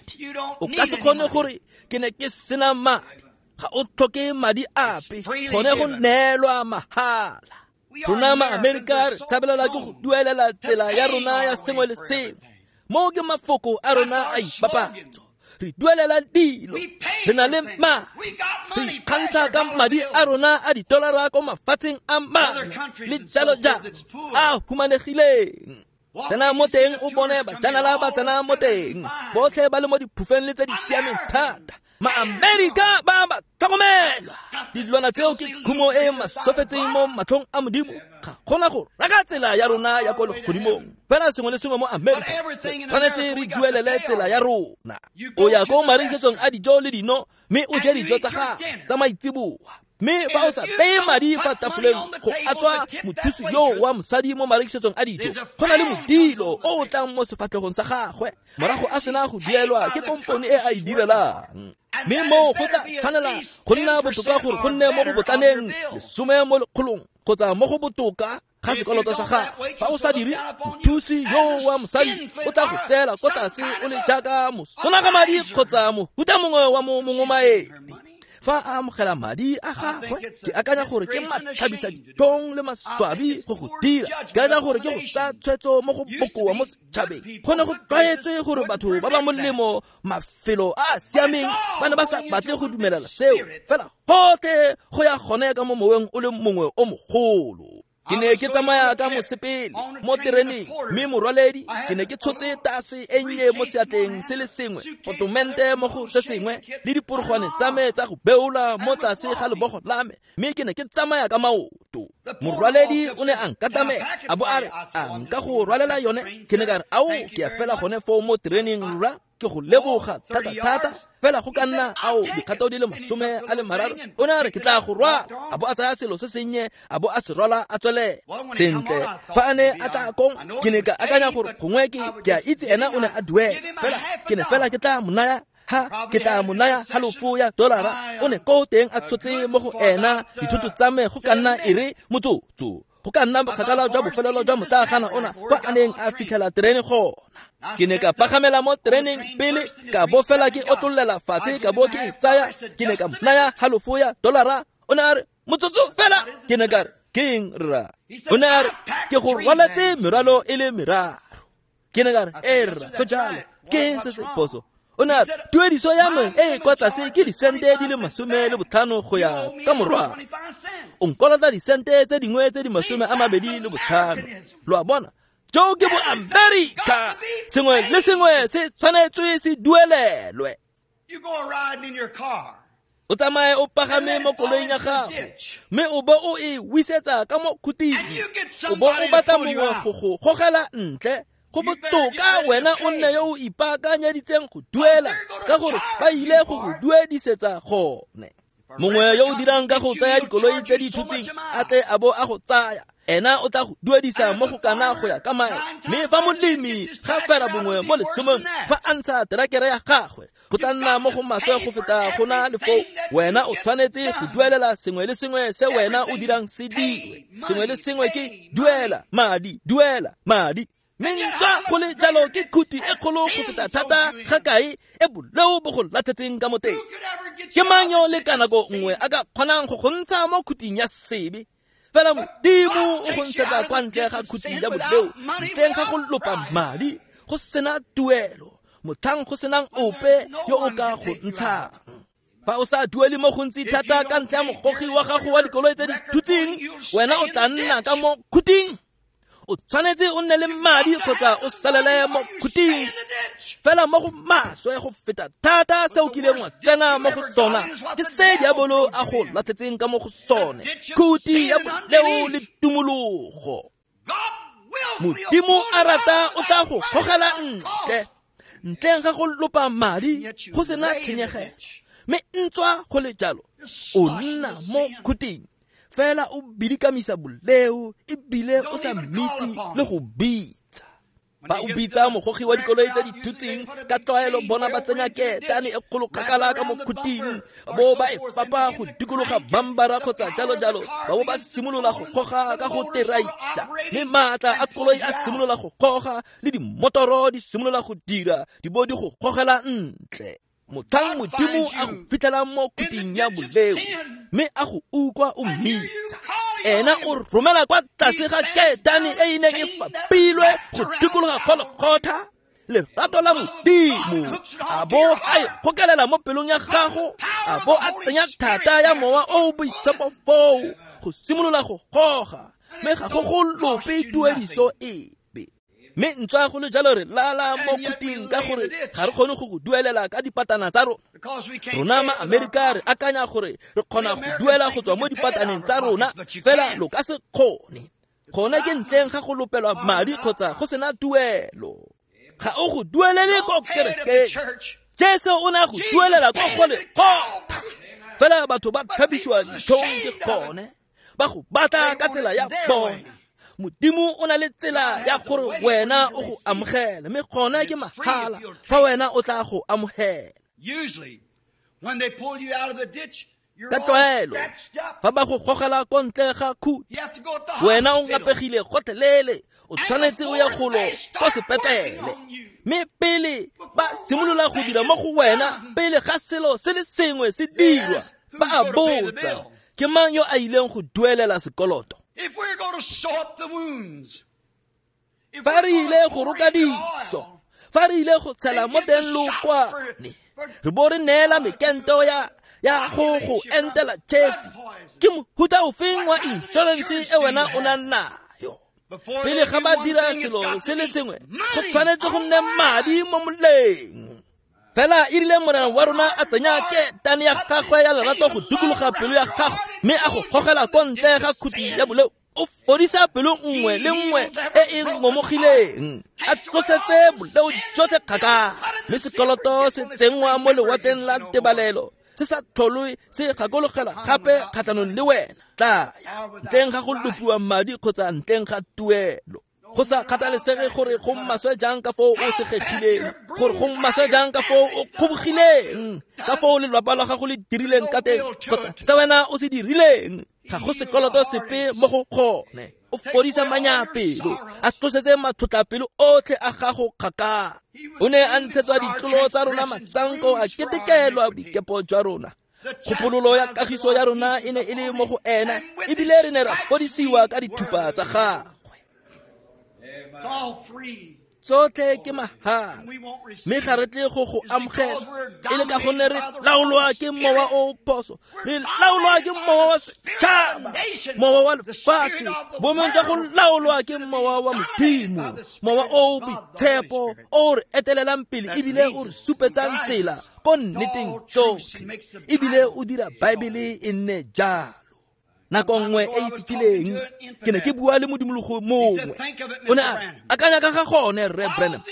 O ka se kgone gore ke ne ke sena madi. Ga o tlhoke madi ape, gone go neelwa mahala. Rona ma-Amerika re tshabelela ke go duelela tsela ya rona ya sengwe le sengwe. Mo ke mafoko a rona a ipapatso. Re duelela dilo, re na le madi, re ikgantsha ka madi a rona a ditolara ko mafatsheng a mangwe le jalo jalo a humanegileng. Tsena mo teng o bone bajanala ba tsena mo teng, botlhe ba le mo diphufeng le tse di siameng thata. Ma-Amerika ba ba tlhokomelwa. Dilwana tseo ke khumo e masofetseng mo matlhong a Modimo. Ga gona go reka tsela ya rona ya ko legodimong. Fela sengwe le sengwe mo Amerika tshwanetse re duelele tsela ya rona. O ya ko marekisetsong a dijo le dino mme o je dijo tsa gago tsa maitseboa. Mme fa o sa beye madi fa tafoleng go atswa mothusi yo wa mosadi mo marekisetsong a dijo, go na le modilo o o tlang mo sefatlhegong sa gagwe morago a sena go duelwa ke kompone e a e direlang. Mme moo go tla tshwanela go nna botoka gore go nne mo go botlaneng lesome mo lekgolong kgotsa mo go botoka ga sekoloto sa gago. Fa o sa dire, mothusi yo wa mosadi o tla go tseela ko tlase o le jaaka mosonaga madi kgotsa mohuta mongwe wa mo mongomaedi. Fa a amogela madi a gagwe, ke akanya gore ke matlhabisa ditlhong le maswabi go go dira. Ke akanya gore ke go tsaya tshwetso mo go bokoa mo setšhabeng. Go ne go tlwaetswe gore batho ba ba molemo mafelo a a siameng ba ne ba sa batle go dumelela seo, fela gotlhe go ya gone ka mo moweng o le mongwe o mogolo. Ke ne ke tsamaya ka mosepele mo tereneng, mme morwaledi ke ne ke tshotse tase e nnye mo seatleng se le sengwe, potomente mo go se sengwe, le diporogwane tsa me tsa go beola mo tlase ga lebogo la me, mme ke ne ke tsamaya ka maoto. Morwaledi o ne a nkatamela a bo a re a nka go rwalela yone. Ke ne ka re ao, ke ya fela gone foo mo tereneng rra, ke go leboga thata thata. Fela go ka nna ao dikgato di le masome a le mararo. O ne a re ke tla go rwala, a bo a tsaya selo se sennye a bo a se rwala a tswelela. Sentle, fa a ne a tla kong, ke ne ka akanya gore gongwe ke ke a itse ena o ne a duela, fela ke ne fela ke tla mo naya ha ke tla mo naya halofo ya dolara. O ne ko teng a tshotse mo go ena dithoto tsa me go ka nna e re motsotso, go ka nna bokgakala jwa bofelelo jwa motlagana ona kwa a neng a fitlhela terene gona. Ke ne ka pagamela mo tereneng pele, ka bo fela ke otlollela fatshe ka bo ke e tsaya. Ke ne ka mo naya halofo ya dolara. O ne a re motsotso fela. Ke ne ka re ke eng rra? O ne a re ke go rwaletse merwalo e le meraro. Ke ne ka re e rra, go jalo, ke eng se se phoso? O ne a re tuediso ya me e e kwa tlase ke disente di le masome le botlhano go ya ka morwalo. O nkolota disente tse dingwe tse di masome a mabedi le botlhano. Lo a bona, jo ke bo-Amerika. Sengwe le sengwe se tshwanetswe se duelelwe. O tsamaye o pagame mo koloing ya gago mme o bo o e wisetsa ka mo khuting, o bo o batla mongwe go go gogela ntle. Go botoka wena o nne yo o ipaakanyeditseng go duela, ka gore ba ile go go duedisetsa gone. Mongwe yo o dirang ka go tsaya dikoloi tse di thutseng a tle a bo a go tsaya, ena o tla go duedisa mo go kana go ya ka mae. Mme fa molemi ga fela bongwe mo lesomong fa a ntsha terakere ya gagwe, go tla nna mo go maswe go feta go na le foo. Wena o tshwanetse go duelela sengwe le sengwe se wena o dirang se dirwe. Sengwe le sengwe ke duela madi, duela madi. Mme ntswa go le jalo ke khuti e kgolo go feta thata ga kae e boleo bo go latlhetseng ka mo teng. Ke mang yo le ka nako nngwe a ka kgonang go go ntsha mo khuting ya sebe? Fela Modimo o go ntshetsa kwa ntle ga khuti ya boleo, ntleng ga go lopa madi, go sena tuelo, motlhang go senang ope yo o ka go ntshang. Fa o sa duele mo gontsi thata ka ntlha ya mogogi wa gago wa dikoloi tse di thutseng, wena o tla nna ka mo khuting. O tshwanetse o nne le madi kgotsa o salele mo khuting. Fela mo go maswe go feta thata se o kileng wa tsena mo go sona ke se diabolo a go latlhetseng ka mo go sone, khuti ya boleo le tumologo. Modimo a rata o tla go gogela ntle, ntleng ga go lopa madi go sena tshenyegelo. Mme ntswa go le jalo o nna mo khuting fela o bidikamisa boleo ebile o sa mmitse le go bitsa. Ba o bitsa mogogi wa dikoloi tse di thutseng ka tlwaelo bona ba tsenya ketane e kgolo kgakala ka mo khuting, bo ba e fapa go dikologa bambara kgotsa jalo jalo, ba bo ba simolola go goga ka go teraisa, mme maatla a koloi a simolola go goga le dimotoro di simolola go dira di bo di go gogela ntle. Motlhang Modimo a go fitlhelang mo khuting ya boleo mme a go utlwa o mmitsa, ena o romela kwa tlase ga ketane e e neng e fapilwe go dikologa Golgotha lerato la Modimo, a bo a e gokelela mo pelong ya gago, a bo a tsenya thata ya mowa o o boitshepo foo go simolola go goga, mme ga go go lope tuediso epe. Mme ntswa go le jalo re lala mo khuting ka gore ga re kgone go go duelela ka dipatana tsa rona. Rona ma-Amerika re akanya gore re kgona go duela go tswa mo dipataneng tsa rona, fela lo ka se kgone. Gone ke ntleng ga go lopelwa madi kgotsa go sena tuelo. Ga o go duelele ko kerekeng. Jesu o ne a go duelela ko Golgotha. Fela batho ba tlhabisiwa ditlhong ke gone, ba go batla ka tsela ya bone. Modimo o na le tsela ya gore wena o go amogela, mme gona ke mahala fa wena o tla go amogela. Ka tlwaelo fa ba go gogela ko ntle ga khuti, wena o ngapegile gotlhelele, o tshwanetse o ya golo ko sepetlele. Mme pele ba simolola go dira mo go wena, pele ga selo se le sengwe se dirwa, ba a botsa, ke mang yo a ileng go duelela sekoloto? If we're going to sew up the wounds, fa re ile go roka diso, fa re ile go tshela mo teng lokwane, re bo re neela mekento ya ya go go entela chefi, ke mohuta ofeng wa insurance e wena o nang nayo? Pele ga ba dira selo se le sengwe, go tshwanetse go nne madi mo moleng. Fela e rile Morena wa rona a tsenya ketane ya gagwe ya lerato go dikologa pelo ya gago, mme a go gogela ko ntle ga khuti ya boleo, o fodisa pelo nngwe le nngwe e e ngomogileng, a tlosetse boleo jotlhe kgakala, mme sekoloto se tsenngwa mo lewatleng la tebalelo se sa tlholwe se gakologela gape kgatlhanong le wena. Tlaya ntleng ga go lopiwa madi kgotsa ntleng ga tuelo. Go sa kgathalesege gore go maswe jang ka foo o segegileng, gore go maswe jang ka foo o kgobogileng, ka foo lelapa la gago le dirileng ka teng, kgotsa se wena o se dirileng, ga go sekoloto sepe mo go gone. O fodisa manyapelo, a tlosetse matlhotlhapelo otlhe a gago kgakala. O ne a ntshetswa ditlolo tsa rona matsanko, a ketekelwa boikepo jwa rona. Kgopololo ya kagiso ya rona e ne e le mo go ena, ebile re ne ra fodisiwa ka dithupa tsa gagwe. Tsotlhe ke mahala, mme ga re tle go go amogela e le ka gonne re laolwa ke mowa o o phoso, re laolwa ke mowa wa setšhaba, mowa wa lefatshe, bomeng jwa go laolwa ke mowa wa Modimo, mowa o o boitshepo o re etelelang pele ebile o re supetsang tsela ko nneteng tsotlhe, ebile o dira Baebele e nne jalo. Nako nngwe e e fetileng ke ne ke bua le modimologo mongwe, o ne a akanya ka ga gone, Rre Branham,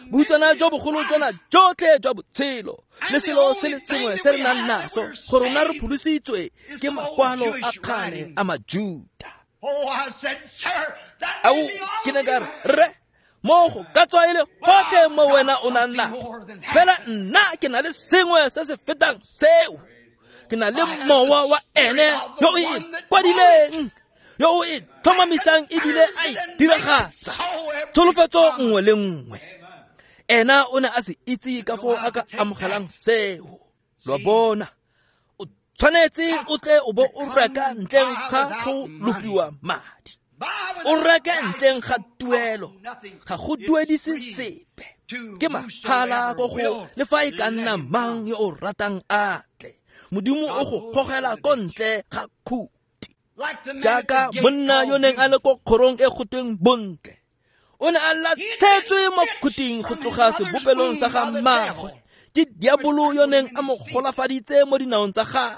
bohutsana jo bogolo jona jotlhe jwa botshelo le selo se le sengwe se re nang naso gore rona re pholositswe ke makwalo a kgale a Majuta. Ao, ke ne ka re, rre, mo go ka tswa e le gotlhe mo wena o nang nago, fela nna ke na le sengwe se se fetang seo. Ke na le mowa wa ene yo o e kwadileng, yo o e tlhomamisang ebile a e diragatsa tsholofetso nngwe le nngwe. Ena o ne a se itse ka foo a ka amogelang seo. Lo bona, o tshwanetse o tle o bo o reka ntleng ga go lopiwa madi, o reke ntleng ga tuelo, ga go duedise sepe, ke mahala ko go le fa e ka nna mang yo o ratang a tle. Modimo o go gogela ko ntle ga khuti. Jaaka monna yo neng a le ko kgorong e go tweng Bontle, o ne a latlhetswe mo khuting go tloga sebopelong sa ga mmagwe ke diabolo yo neng a mo golafaditse mo dinaong tsa gagwe.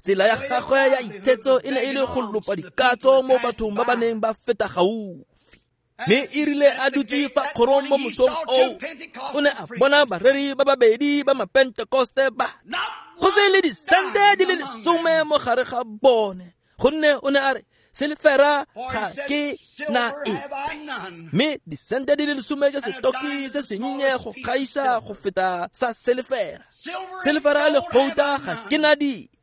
Tsela ya gagwe ya itshetso e ne e le go lopa dikatso mo bathong ba ba neng ba feta gaufi. Mme e rile a dutse fa kgorong mo mosong oo, o ne a bona bareri ba babedi ba mapentekoste ba go se le disente di le lesome mo gare ga bone, gonne o ne a re selefera ga ke na epe, mme disente di le lesome ke setoki se sennye go gaisa go feta sa selefera. Selefera le gouta ga ke na dipe.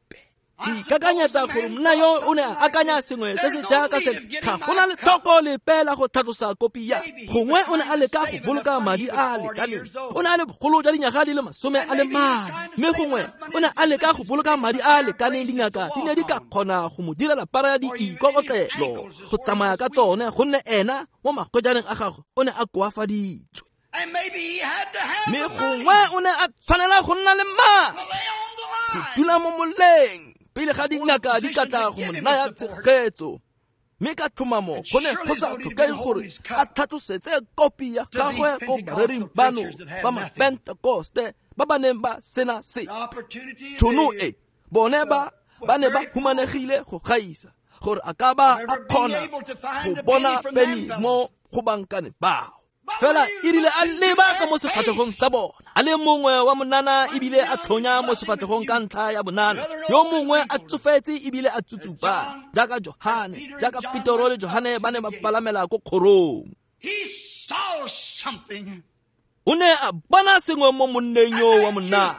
Ke ikakanyetsa gore monna yo o ne a akanya sengwe se se jaaka se, ga go na letlhoko lepe la go tlhatlosa kopi ya. Gongwe o ne a leka go boloka madi a a lekaneng. O ne a le bogolo jwa dinyaga di le masome a le mane, mme gongwe o ne a leka go boloka madi a a lekaneng dingaka di ne di ka kgona go mo direla para ya diikokotlelo go tsamaya ka tsone, gonne ena mo magwejaneng a gagwe o ne a koafaditswe. Mme gongwe o ne a tshwanela go nna le madi go dula mo moleng pele ga dingaka di ka tla go mo naya tshegetso. Mme ka tlhomamo go ne go sa tlhokege gore a tlhatlosetse kopi ya gagwe ko barering bano ba mapentekoste ba ba neng ba sena sepe. Tšhono e bone ba ba ne ba humanegile go gaisa gore a ka ba a kgona go bona peni mo go bankane bao. Fela e rile a leba ka mo sefatlhegong sa bona, a le mongwe wa monana ebile a tlhonya mo sefatlhegong ka ntlha ya bonana, yo mongwe a tsofetse ebile a tsutsupa jaaka Johane, jaaka Petero le Johane ba ne ba palamela ko kgorong. O ne a bona sengwe mo monneng yo wa monna,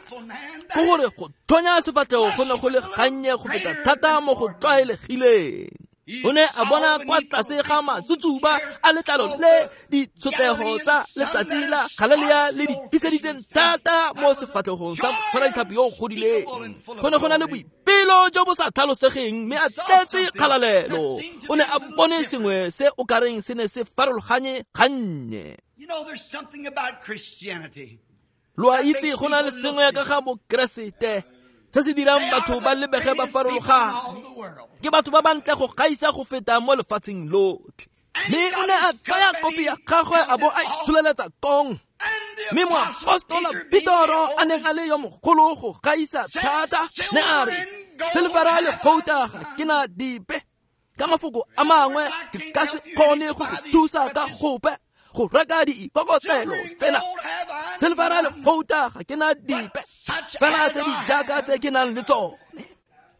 ke gore go tlhonya sefatlhego go ne go le gannye go feta thata mo go tlwaelegileng. O ne a bona kwa tlase ga matsutsuba a letlalo le ditshotlego tsa letsatsi la Galilea le di fiseditseng thata mo sefatlhegong sa motshwaraditlhapi yo o godileng. Go ne go na le boipelo jo bo sa tlhalosegeng, mme a tletse kgalalelo. O ne a bone sengwe se o kareng se ne se farologanye gannye. Lo a itse go na le sengwe ka ga Mokeresete se se dirang batho ba lebege ba farologane. Ke batho ba bantle go gaisa go feta mo lefatsheng lotlhe. Mme o ne a tsaya kopi ya gagwe a bo a itsholeletsa kong. Mme moapostola Petero a neng a le yo mogolo go gaisa thata ne a re, selefera le gouta ga ke na dipe. Ka mafoko a mangwe ke ka se kgone go go thusa ka gope go reka diikokotlelo tsena. Selefera le gouta ga ke na dipe, fela tse di jaaka tse ke nang le tsone.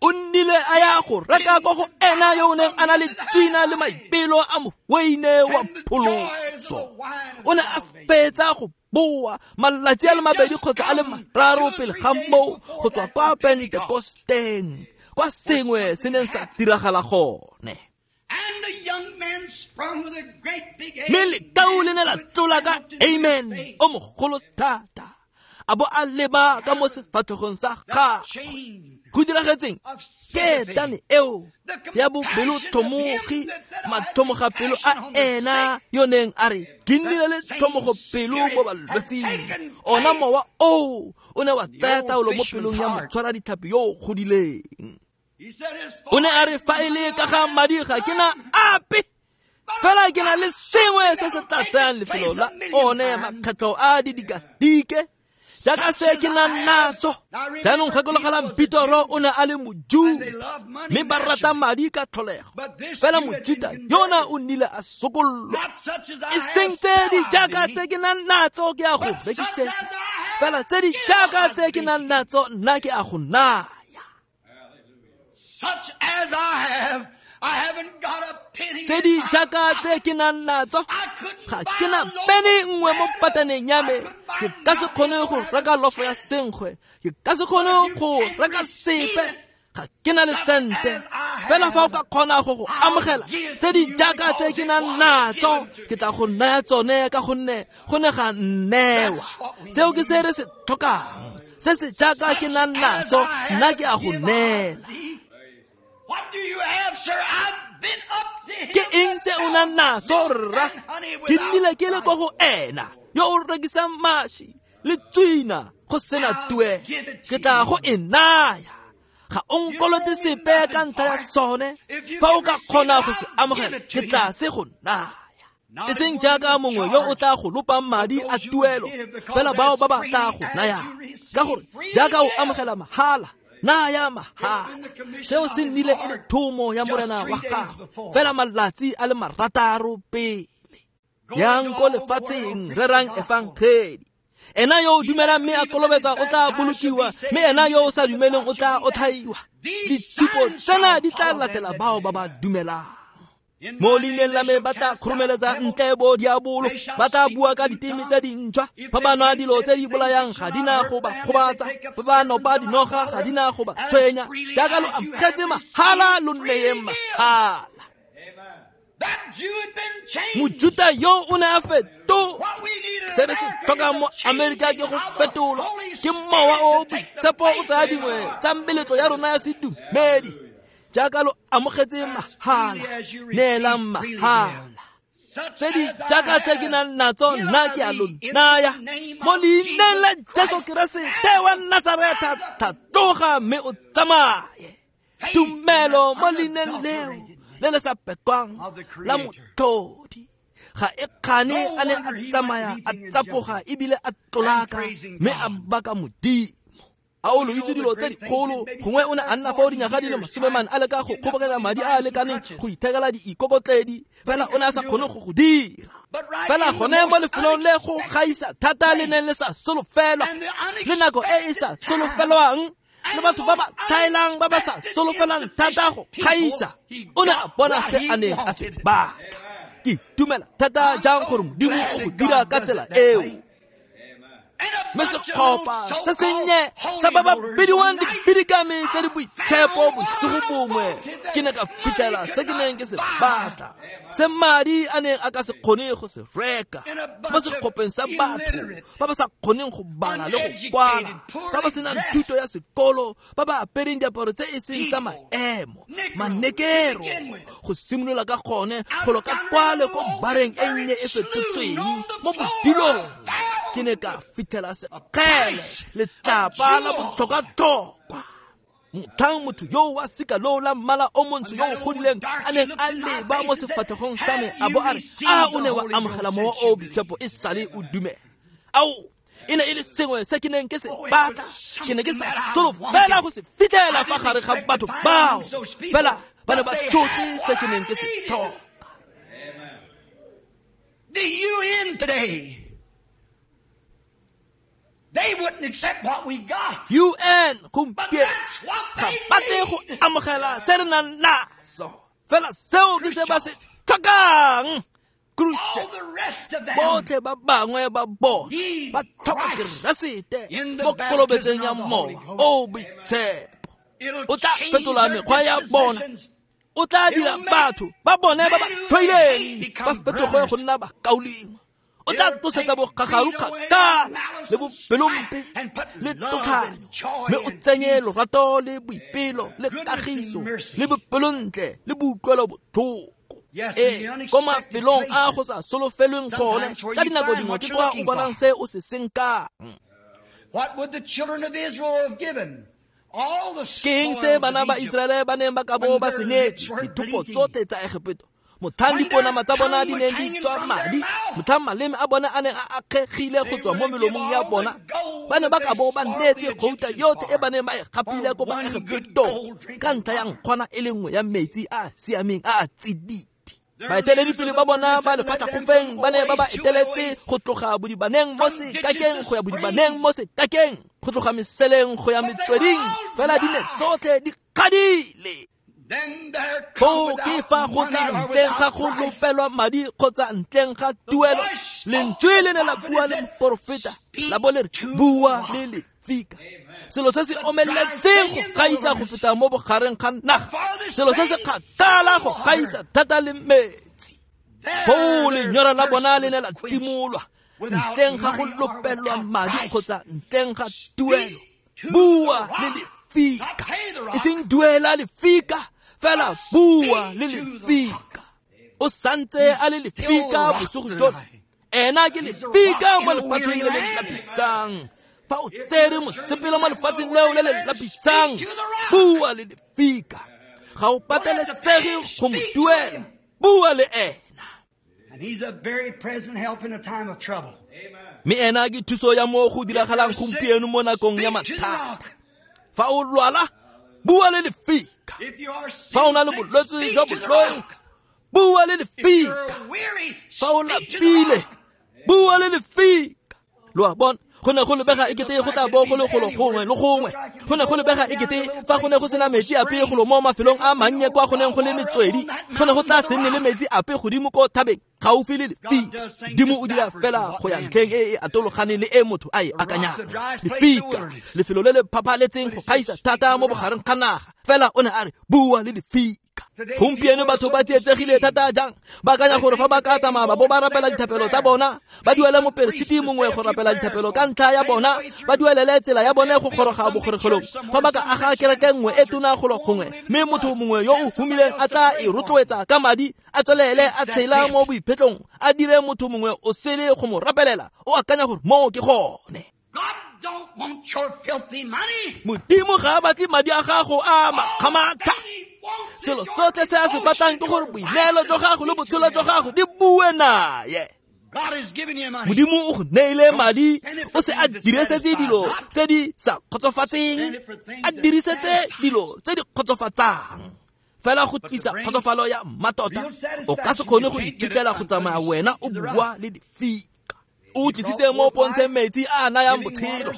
O nnile a ya go reka ko go ena yo o neng a na le tswina le maipelo a moweine wa pholoso. O ne a fetsa go boa malatsi a le mabedi kgotsa a le mararo pele ga moo go tswa kwa Pentekosteng, kwa sengwe se neng sa diragala gone. Mme lekau le ne la tlola ka amen o mogolo thata, a bo a leba ka mo sefatlhegong sa gagwe. Go diragetseng ke tane eo ya bobelotlhomogi, matlhomogapelo a ena yo neng a re ke nnile le tlhomogopelo mo balwetsing. Ona mowa oo o ne wa tsaya taolo mo pelong ya motshwaraditlhapi yo o godileng. O ne a re fa e le ka ga madi ga ke na ape, fela ke na le sengwe se se tla tsayang lefelo la one makgetlho a didikadike jaaka se ke nang naso. Jaanong gakologelang Petero o ne a le Mojuta, mme ba rata madi ka tlholego, fela Mojuta yona o nnile a sokollwa. E seng tse di jaaka tse ke nang natso ke a go rekisetsa, fela tse di jaaka tse ke nang natso nna ke a go naya. Tse di jaaka tse ke nang natso ga ke na peni nngwe mo pataneng ya me. Ke ka se kgone go reka lofo ya senkgwe, ke ka se kgone go reka sepe, ga ke na le sente. Fela fa o ka kgona go go amogela tse di jaaka tse ke nang natso, ke tla go naya tsone ka gonne go ne ga nnewa. Seo ke se re se tlhokang, se se jaaka ke nang naso nna ke a go neela. Ke eng se o nang naso rra? Ke nnile ke le ko go ena yo o rekisang maši le tswina go sena tuelo. Ke tla go e naya. Ga o nkolote sepe ka ntlha ya sone. Fa o ka kgona go se amogela, ke tla se go naya. E seng jaaka mongwe yo o tla go lopang madi a tuelo, fela bao ba ba tla go nayang. Ka gore jaaka o amogela mahala, naya mahala. Seo se nnile e le thomo ya morena wa gago fela malatsi a le marataro pele. Yang ko lefatsheng rerang efangedi. Ena yo o dumelang mme a kolobetsa o tla bolokiwa, mme ena yo o sa dumeleng o tla otlhaiwa. Ditshupo tsena di tla latela bao ba ba dumelang. Mo leineng la me ba tla kgoromeletsa ntle bo diabolo, ba tla bua ka diteme tse dintšhwa. Fa ba nwa dilo tse di bolayang ga di na go ba gobatsa, fa ba nopa dinoga ga di na go ba tshwenya. Jaaka lo amogetse mahala, lo neyeng mahala. Mojuta yo o ne a fetotswe. Se re se tlhokang mo Amerika ke go fetolwa ke mowa o boitshepo o tsaya dingwe tsa meletlo ya rona ya sedumedi. Jaaka lo amogetse mahala, neelang mahala. Tse di jaaka tse ke nang natso nna ke a lo naya. Mo leineng la Jesu Keresete wa Nasaretha, tlhatloga mme o tsamaye. Tumelo mo leineng leo le le sa pekwang la motlhodi ga e kgane a ne a tsamaya a tsapoga ebile a tlolaka mme a baka Modimo. A o lo itse dilo tse dikgolo, gongwe o ne a nna fao dinyaga di le masomemane a leka go kgoboketsa madi a a lekaneng go ithekela diikokotledi, fela o ne a sa kgone go go dira. Fela gone mo lefelong le go gaisa thata le neng le sa solofelwa, le nako e e sa solofelwang, le batho ba ba tlhaelang ba ba sa solofelang thata go gaisa, o ne a bona se a neng a se batla. Ke itumela thata jang gore Modimo o go dira ka tsela eo. Mme setlhopha se sennye sa ba ba bidiwang dibidikami tse di boitshepo bosigo bongwe, ke ne ka fitlhela se ke neng ke se batla, se madi a neng a ka se kgone go se reka. Mo setlhopheng sa batho ba ba sa kgoneng go bala le go kwala, ba ba senang thuto ya sekolo, ba ba apereng diaparo tse e seng tsa maemo, manekero, go simolola ka gone golo ka kwale ko bareng e nnye e fetotsweng mo bodilong, ke ne ka fitlhela sekgele letlapa la botlhokwa-tlhokwa. Motlhang motho yo wa sika loo la mmala o montsho yo o godileng a neng a leba mo sefatlhegong sa me a bo a re, a o ne wa amogela mowa o boitshepo e sale o dumela. Ao, e ne e le sengwe se ke neng ke se batla, ke ne ke sa solofela go se fitlhela fa gare ga batho bao, fela ba ne ba tshotse se ke neng ke se tlhoka. The U N today, they wouldn't accept what we got. U N gompieno ga batle go amogela se re nang naso, fela seo ke se ba se tlhokang. Botlhe ba bangwe ba bona ba tlhoka Keresete mo kolobetsong ya mowa o boitshepo. O tla fetola mekgwa ya bona, o tla dira batho ba bone ba ba tlhoileng ba fetoge go nna bakaulengwe. O tla tlosetsa bogagaru kgakala le bopelompe le tlhotlhanyo, mme o tsenye lorato le boipelo le kagiso le bopelontle le boutlwelobotlhoko. Ee, ko mafelong a go sa solofelweng gone, ka dinako dingwe ke kwa o bonang se o se senkang. Ke eng se bana ba Iseraele ba neng ba ka bo ba se neetse dithopo tsotlhe tsa Egepeto? Motlhang diponama tsa bona di neng di tswa madi, motlhang maleme a bona a neng a akgegile go tswa mo melomong ya bona, ba ne ba ka bo ba neetse gouta yotlhe e ba neng ba e gapile ko ba Egepetong ka ntlha ya nkgwana e le nngwe ya metsi a a siameng a a tsididi. Baeteledipele ba bona ba lefatlhakgofeng ba ne ba ba eteletse go tloga bodibaneng mo sekakeng go ya bodibaneng mo sekakeng, go tloga meseleng go ya metsweding, fela di ne tsotlhe di kgadile. Foo ke fa go tla ntleng ga go lopelwa madi kgotsa ntleng ga tuelo, lentswe le ne la bua le moporofeta la bo le re, bua le lefika. Selo se se omeletseng go gaisa go feta mo bogareng ga naga, selo se se kgakala go gaisa thata le metsi. Foo lenyora la bona le ne la timolwa ntleng ga go lopelwa madi kgotsa ntleng ga tuelo. Bua le lefika, e seng duela lefika, fela bua le lefika. O santse a le lefika bosigo jono, ena ke lefika mo lefatsheng le le lapisang. Fa o tsere mosepele mo lefatsheng leo le le lapisang, bua le lefika. Ga o patelesege go mo duela, bua le ena. And he's a very present help in a time of trouble. Mme ena ke thuso ya mo go diragalang gompieno mo nakong ya mathata. Fa o lwala, bua le lefika. Fa o na le bolwetse jwa boloi, bua le lefika. Fa o lapile, bua le lefika. Lo a bona, go ne go lebega ekete go tla bo go le golo gongwe le gongwe. Go ne go lebega ekete fa go ne go sena metsi ape golo mo mafelong a mannye kwa go neng go le metswedi, go ne go tla se nne le metsi ape godimo ko thabeng gaufi le lefika. Modimo o dira fela go ya ntlheng e e atologaneng le e motho a e akanyang. Lefika, lefelo le le phaphaletseng go gaisa thata mo bogareng ga naga, fela o ne a re bua le lefika. Gompieno batho ba tsietsegile thata jang, ba akanya gore fa ba ka tsamaya ba bo ba rapela dithapelo tsa bona, ba duele moperesiti mongwe go rapela dithapelo ka ntlha ya bona, ba duelele tsela ya bone go goroga bogoregelong. Fa ba ka aga kereke nngwe e tona golo gongwe, mme motho mongwe yo o humileng a tla e rotloetsa ka madi, a tswelele a tshela mo boiphetlong, a dire motho mongwe o sele go mo rapelela, o akanya gore moo ke gone. Don't want your filthy money. Modimo ga a batle madi a gago a makgamatha. Selo sotlhe se a se batlang ke gore boineelo jwa gago le botshelo jwa gago di bue naye. God has given you money. Modimo o go neile madi, o se a dirisetse dilo tse di sa kgotsofatseng, a dirisetse dilo tse di kgotsofatsang. Fela go tlisa kgotsofalo ya mmatota, o ka se kgone go iphitlhela go tsamaya wena o bua le difika. O tlisitse mo pontsheng metsi a a nayang botshelo,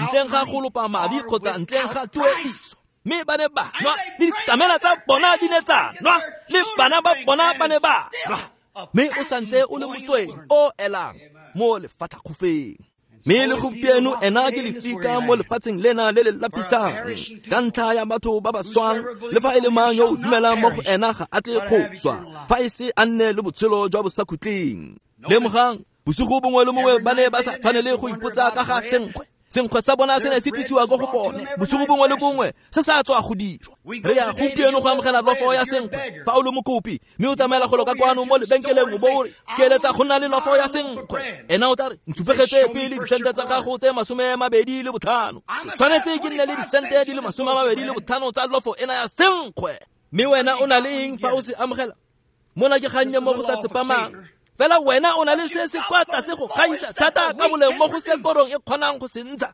ntleng ga go lopa madi kgotsa ntleng ga tuediso. Mme ba ne ba nwa, le dikamela tsa bona di ne tsa nwa, le bana ba bona ba ne ba nwa. Mme o santse o le motswedi o elang mo lefatlhakgofeng. Mme le gompieno ena ke lefika mo lefatsheng lena le le lapisang, ka ntlha ya batho ba ba swang, le fa e le mang yo o dumelang mo go ena ga a tle go swa, fa e se a nne le botshelo jwa bosakhutleng. Lemogang, bosigo bongwe le bongwe ba ne ba sa tshwanele go ipotsa ka ga senkgwe. Senkgwe sa bona se ne se tlisiwa ko go bone bosigo bongwe le bongwe, se sa tswa go dirwa. Re ya gompieno go amogela lofo ya senkgwe fa o le mokopi, mme o tsamaela golo ka kwano mo lebenkeleng o bo o re ke eletsa go nna le lofo ya senkgwe. Ena o tla re ntshupegetse pele disente tsa gago tse masome a mabedi le botlhano, tshwanetse ke nne le disente di le masome a mabedi le botlhano tsa lofo ena ya senkgwe. Mme wena o na le eng fa o se amogela? Mona ke gannye mo go sa tsepamang. Fela wena o na le se se kwa tlase go gaisa thata ka boleng mo go se korong e kgonang go se ntsha.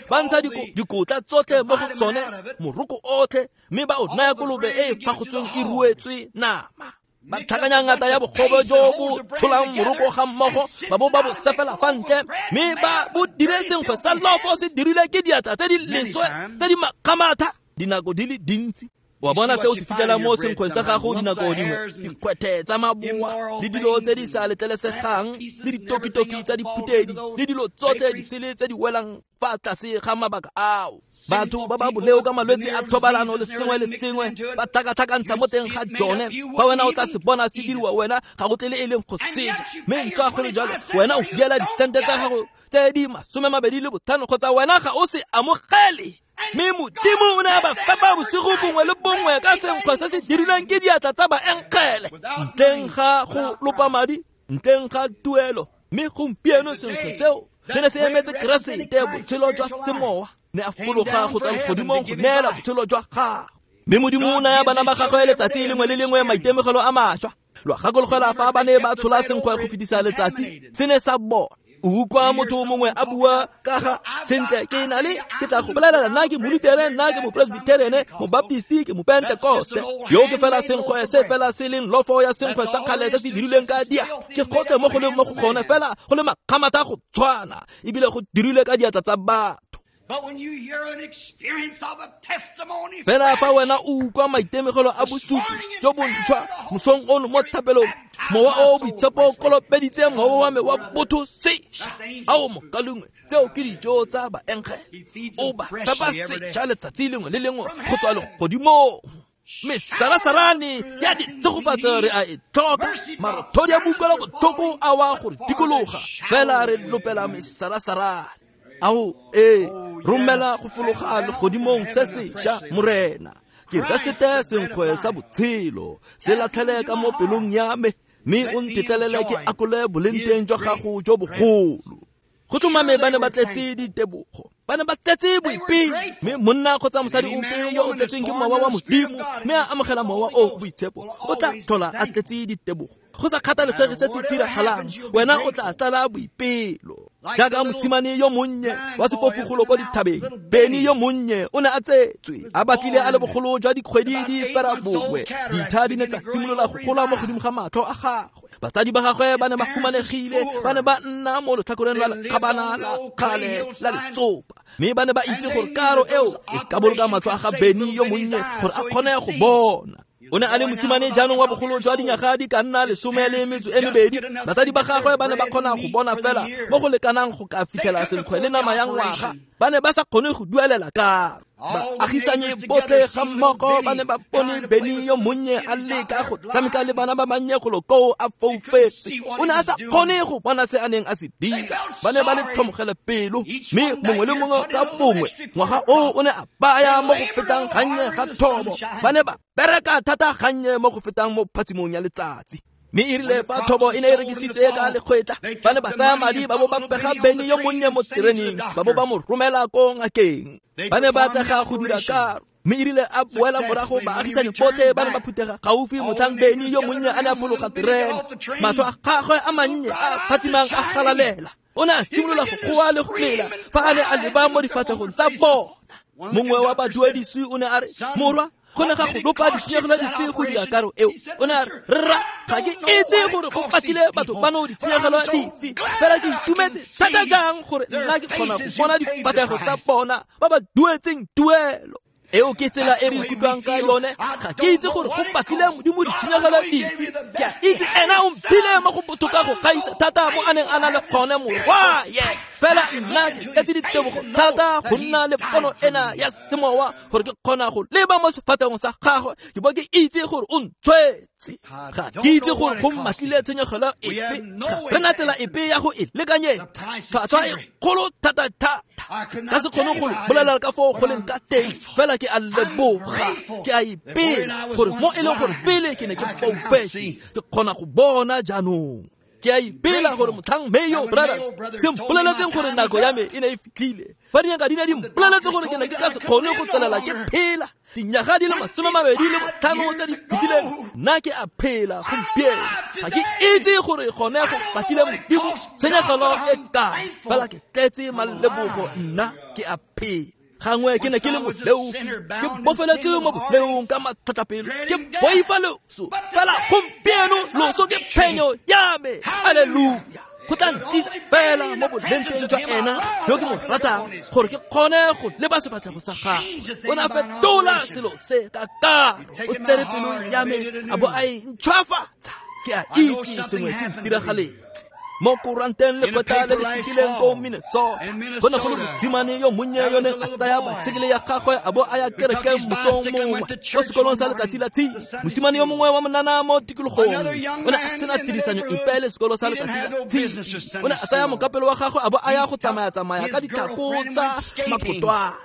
Ba ntsha dikotla tsotlhe mo go sone, moroko otlhe, mme ba o naya kolobe e e fagotsweng e ruetswe nama. Ba tlhakanya ngata ya bogobe jo bo tsholang moroko ga mmogo, ba bo ba bo sefela fa ntle, mme ba bo dire senkgwe sa lofo se dirile ke diatla tse di leswe tse di makgamatha dinako di le dintsi. Wa bona seo se fitlhela mo senkgweng sa gago dinako dingwe, dikgwethe tsa maboa le dilo tse di sa letlelesegang le ditokitoki tsa diphutedi le dilo tsotlhe di sele tse di welang fa tlase ga mabaka ao. Batho ba ba boleo ka malwetse a thobalano le sengwe le sengwe ba tlhakatlhakantsha mo teng ga jone. Fa wena o tla se bona se diriwa, wena ga go tle le e leng go seja. Mme ntswa go le jalo, wena o duela disente tsa gago tse di masome mabedi le botlhano kgotsa wena ga o se amogele. Mme Modimo o ne a ba fepa bosigo bongwe le bongwe ka senkgwe se se dirilweng ke diatla tsa baenkgele, ntleng ga go lopa madi, ntleng ga tuelo. Mme gompieno senkgwe seo se ne se emetse Keresete, botshelo jwa semowa, ne a fologa go tswa legodimong go neela botshelo jwa gagwe. Mme Modimo o naya bana ba gagwe letsatsi lengwe le lengwe maitemogelo a mašwa. Lo gakologelwa fa ba ne ba tshola senkgwe go fetisa letsatsi, se ne sa bona. O utlwa motho mongwe a bua ka ga sentle ke na le ke tla go bolelela nna ke molutere, nna ke mopresbiterene, mobaptisti, ke mopentekoste. Yo ke fela senkgwe se fela se leng lofo ya senkgwe sa kgale se se dirilweng ka dia. Ke gotlhe mo go leng mo go gone fela go le makgamatha go tshwana, ebile go dirilwe ka diatla tsa batho. Fela fa wena o utlwa maitemogelo a bosupi jo bontšhwa mosong ono mo thapelong, mowa o boitshepo o kolobeditse mowa wa me wa botho sešwa. Ao mokalengwe, tseo ke dijo tsa baenkgele. O ba fepa sešwa letsatsi lengwe le lengwe go tswa legodimong. Mesarasarane ya ditshegofatso re a e tlhoka, marothodi a boutlwela botlhoko a wa gore dikologa, fela re lopela mesarasarane. Ao ee, romela go fologa legodimong se sešwa, Morena. Ke Keresete senkgwe sa botshelo, se latlhele ka mo pelong ya me, mme o ntetlelele ke akole boleng teng jwa gago jo bogolo. Go tlhomame ba ne ba tletse ditebogo, ba ne ba tletse boipelo. Mme monna kgotsa mosadi ope yo o tletsweng ke mowa wa Modimo mme a amogela mowa o boitshepo o tla tlhola a tletse ditebogo. Go sa kgathalesege se se diragalang, wena o tla tlala boipelo. Jaaka mosimane yo monnye wa sefofogolo ko dithabeng, Beni yo monnye o ne a tsetswe a batlile a le bogolo jwa dikgwedi di fera bongwe. Ditha di ne tsa simolola go gola mo godimo ga matlho a gagwe. Batsadi ba gagwe ba ne ba humanegile, ba ne ba nna mo letlhakoreng la lekgabana la kgale la letsopa, mme ba ne ba itse gore karo eo e ka boloka matlho a ga Beni yo monnye gore a kgone go bona. O ne a le mosimane jaanong wa bogolo jwa dinyaga di ka nna lesome le metso e mebedi. Batsadi ba gagwe ba ne ba kgona go bona fela mo go lekanang go ka fitlhela senkgwe le nama ya ngwaga. Ba ne ba sa kgone go duelela karo. Baagisanye botlhe ga mmogo ba ne ba bone Beni yo monnye a leka go tshameka le bana ba bannye golo koo a foufetse. O ne a sa kgone go bona se a neng a se dira. Ba ne ba le tlhomogele pelo, mme mongwe le mongwe ka bongwe ngwaga oo o ne a baya mo go fetang gannye ga thobo. Ba ne ba bereka thata gannye mo go fetang mo phatsimong ya letsatsi. Mme e rile fa thobo e ne e rekisitswe ka lekgwetla, ba ne ba tsaya madi ba bo ba pega Beni yo monnye mo tereneng, ba bo ba mo romela ko ngakeng. Ba ne ba atlega go dira karo. Mme e rile a boela morago, baagisani botlhe ba ne ba phuthega gaufi motlhang Beni yo monnye a ne a fologa terene. Matlho a gagwe a mannye a phatsimang a galalela. O ne a simolola go goa le go lela fa a ne a leba mo difatlhegong tsa bona. Mongwe wa baduedisi o ne a re, "Morwa, go ne ga go lopa ditshenyegelo dife go dira karo eo?" O ne a re, "Rra, ga ke itse gore go patile batho bano ditshenyegelo dife, fela ke itumetse thata jang gore nna ke kgona go bona difatlhego tsa bona ba ba duetseng tuelo." Eo ke tsela e re ikutlwang ka yone. Ga ke itse gore go batlile Modimo ditshenyegelo dife. Ke a itse ena o mphile mo go botoka go gaisa thata mo a neng a na le gone morwaye. Fela nna ke tletse ditebogo thata go nna le pono ena ya semowa gore ke kgona go leba mo sefatlhegong sa gagwe ke bo ke itse gore o ntshwetse. Ga ke itse gore go mmatlile tshenyegelo efe. Ga re na tsela epe ya go e lekanyetsa. Tlhwatlhwa e kgolo thata-thata. Ka se kgone go bolela ka foo go leng ka teng, fela ke a leboga, ke a ipela gore mo e leng gore pele ke ne ke foufetse, ke kgona go bona jaanong. Ke a ipela gore motlhang Mayo Brothers se mpoleletseng gore nako ya me e ne e fitlhile, fa dingaka di ne di mpoleletse gore ke ne ke ka se kgone go tswelela ke phela dinyaga di le masome mabedi le botlhano tse di fetileng, nna ke a phela gompieno. Ga ke itse gore gone go batlile Modimo tshenyegelo e kae, fela ke tletse malebogo, nna ke a phela. Gangwe ke ne ke le moleofi, ke bofeletse mo boleong ka matlhotlhapelo, ke boifa loso, fela gompieno loso ke phenyo ya me. Alleluia. Go tla ntlisa fela mo bolenteng jwa ena yo ke mo ratang gore ke kgone go leba sefatlhego sa gagwe. O ne a fetola selo se ka karo, o tsere pelo ya me a bo a e ntšhwafatsa. Ke a itse sengwe se ntiragaletse. Mo koranteng lekgotla le le fetileng ko Minnesota, go ne go le mosimane yo monnye yo neng a tsaya baesekele ya gagwe a bo a ya kerekeng mosong mongwe ko sekolong sa letsatsi la tshipi. Mosimane yo mongwe wa monana mo tikologong o ne a sena tirisanyo epe le sekolo sa letsatsi la tshipi. O ne a tsaya mokapelo wa gagwe a bo a ya go tsamaya-tsamaya ka ditlhako tsa makotwana.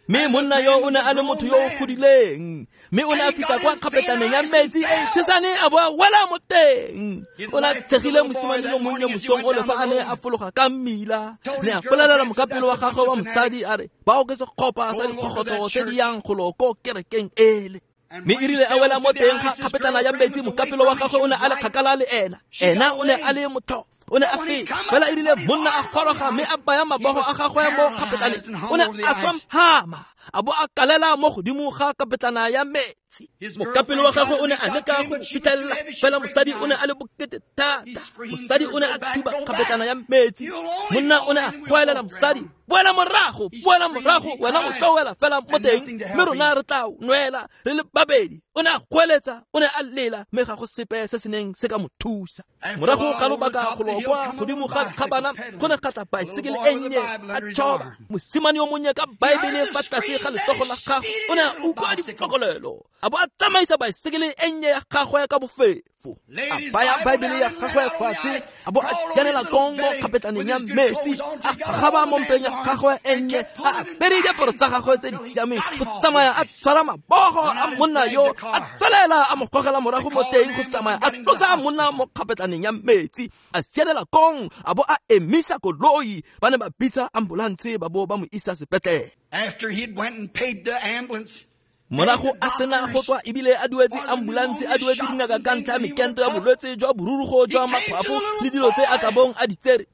Mme monna yo o ne a le motho yo o godileng, mme o ne a fitlha kwa kgapetlaneng ya metsi e tshesane a bo a wela mo teng. O ne a tshegile mosimane yo monnye mosong o le fa a ne a fologa ka mmila. Ne a bolelela mokapelo wa gagwe wa mosadi a re, "Bao ke sekgopa sa dikgogotlo tse di yang golo ko kerekeng ele." Mme e rile a wela mo teng ga kgapetlana ya metsi, mokapelo wa gagwe o ne a le kgakala le ena. Ena o ne a le motlhofo, o ne a feta. Fela e rile monna a goroga mme a baya mabogo a gagwe mo kgapetlaneng, o ne a swamhama a bo a kalela mo godimo ga kapetlana ya metsi. Mokapelo wa gagwe o ne a leka go fitlhelela, fela mosadi o ne a le bokete thata. Mosadi o ne a thuba kgapetlana ya metsi. Monna o ne a goelela mosadi, "Boela morago, boela morago, wena o tlo wela fela mo teng, mme rona re tla nwela re le babedi." O ne a goeletsa, o ne a lela, mme ga go sepe se se neng se ka mo thusa. Morago ga lobaka golo kwa godimo ga kgabana go ne ga tla baesekele e nnye a tšhoba. Mosimane yo monnye ka Baebele fa tlase tlase ga letsogo la gagwe o ne a utlwa dipokolelo a bo a tsamaisa baesekele e nnye ya gagwe ka bofefo a baya baebele ya gagwe fatshe a bo a sianela kong mo kgapetlaneng ya metsi a gagaba mo mpeng ya gagwe e nnye a apere diaparo tsa gagwe tse di siameng go tsamaya a tshwara mabogo a monna yo a tswelela a mo gogela morago mo teng go tsamaya a tlosa monna mo kgapetlaneng ya metsi a sianela kong a bo a emisa koloi ba ne ba bitsa ambulanse ba bo ba mo isa sepetlele. After he'd went and paid the ambulance, morago a sena go tswa ebile a duetse ambulanse a duetse dingaka ka ntlha ya mekento ya bolwetse jwa borurugo jwa makgwafo le dilo tse a ka bong a di tsere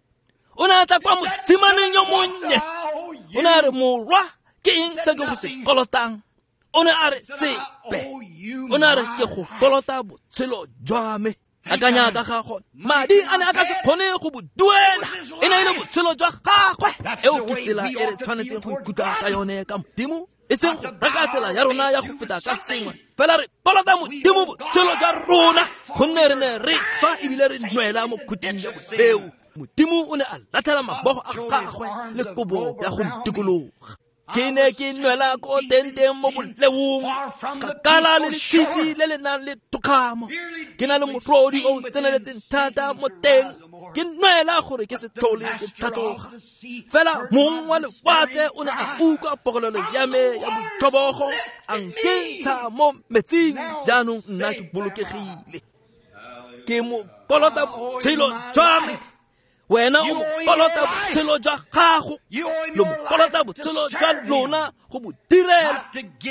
o ne a tla kwa mosimaneng yo monnye o ne a re morwa ke eng se ke go se kolotang o ne a re sepe o ne a re ke go kolota botshelo jwa me akanya ka ga gone madi a ne a ka se kgone go bo duela e ne e le botshelo jwa gagwe eo ke tsela e re tshwanetseng go ikutlwa ka yone ka Modimo e seng go reka tsela ya rona ya go feta ka sengwe fela re kolota Modimo botshelo jwa rona gonne re ne re swa ebile re nwela mo khuting ya boleo. Modimo o ne a latlhela mabogo a gagwe le kobo ya go ntikologa. Ke ne ke nwela ko teng-teng mo boleong kgakala le letshitshi le le nang le thokgamo ke na le motlodi o tseneletseng thata mo teng ke nwela gore ke se tlhole ke tlhatloga fela mong wa lewatle o ne a utlwa pokolelo ya me ya boitlhobogo a nkentsha mo metsing jaanong nna ke bolokegile ke mo kolota botshelo jwa me. Wena o mo kolota botshelo jwa gago lo mo kolota botshelo jwa lona go mo direla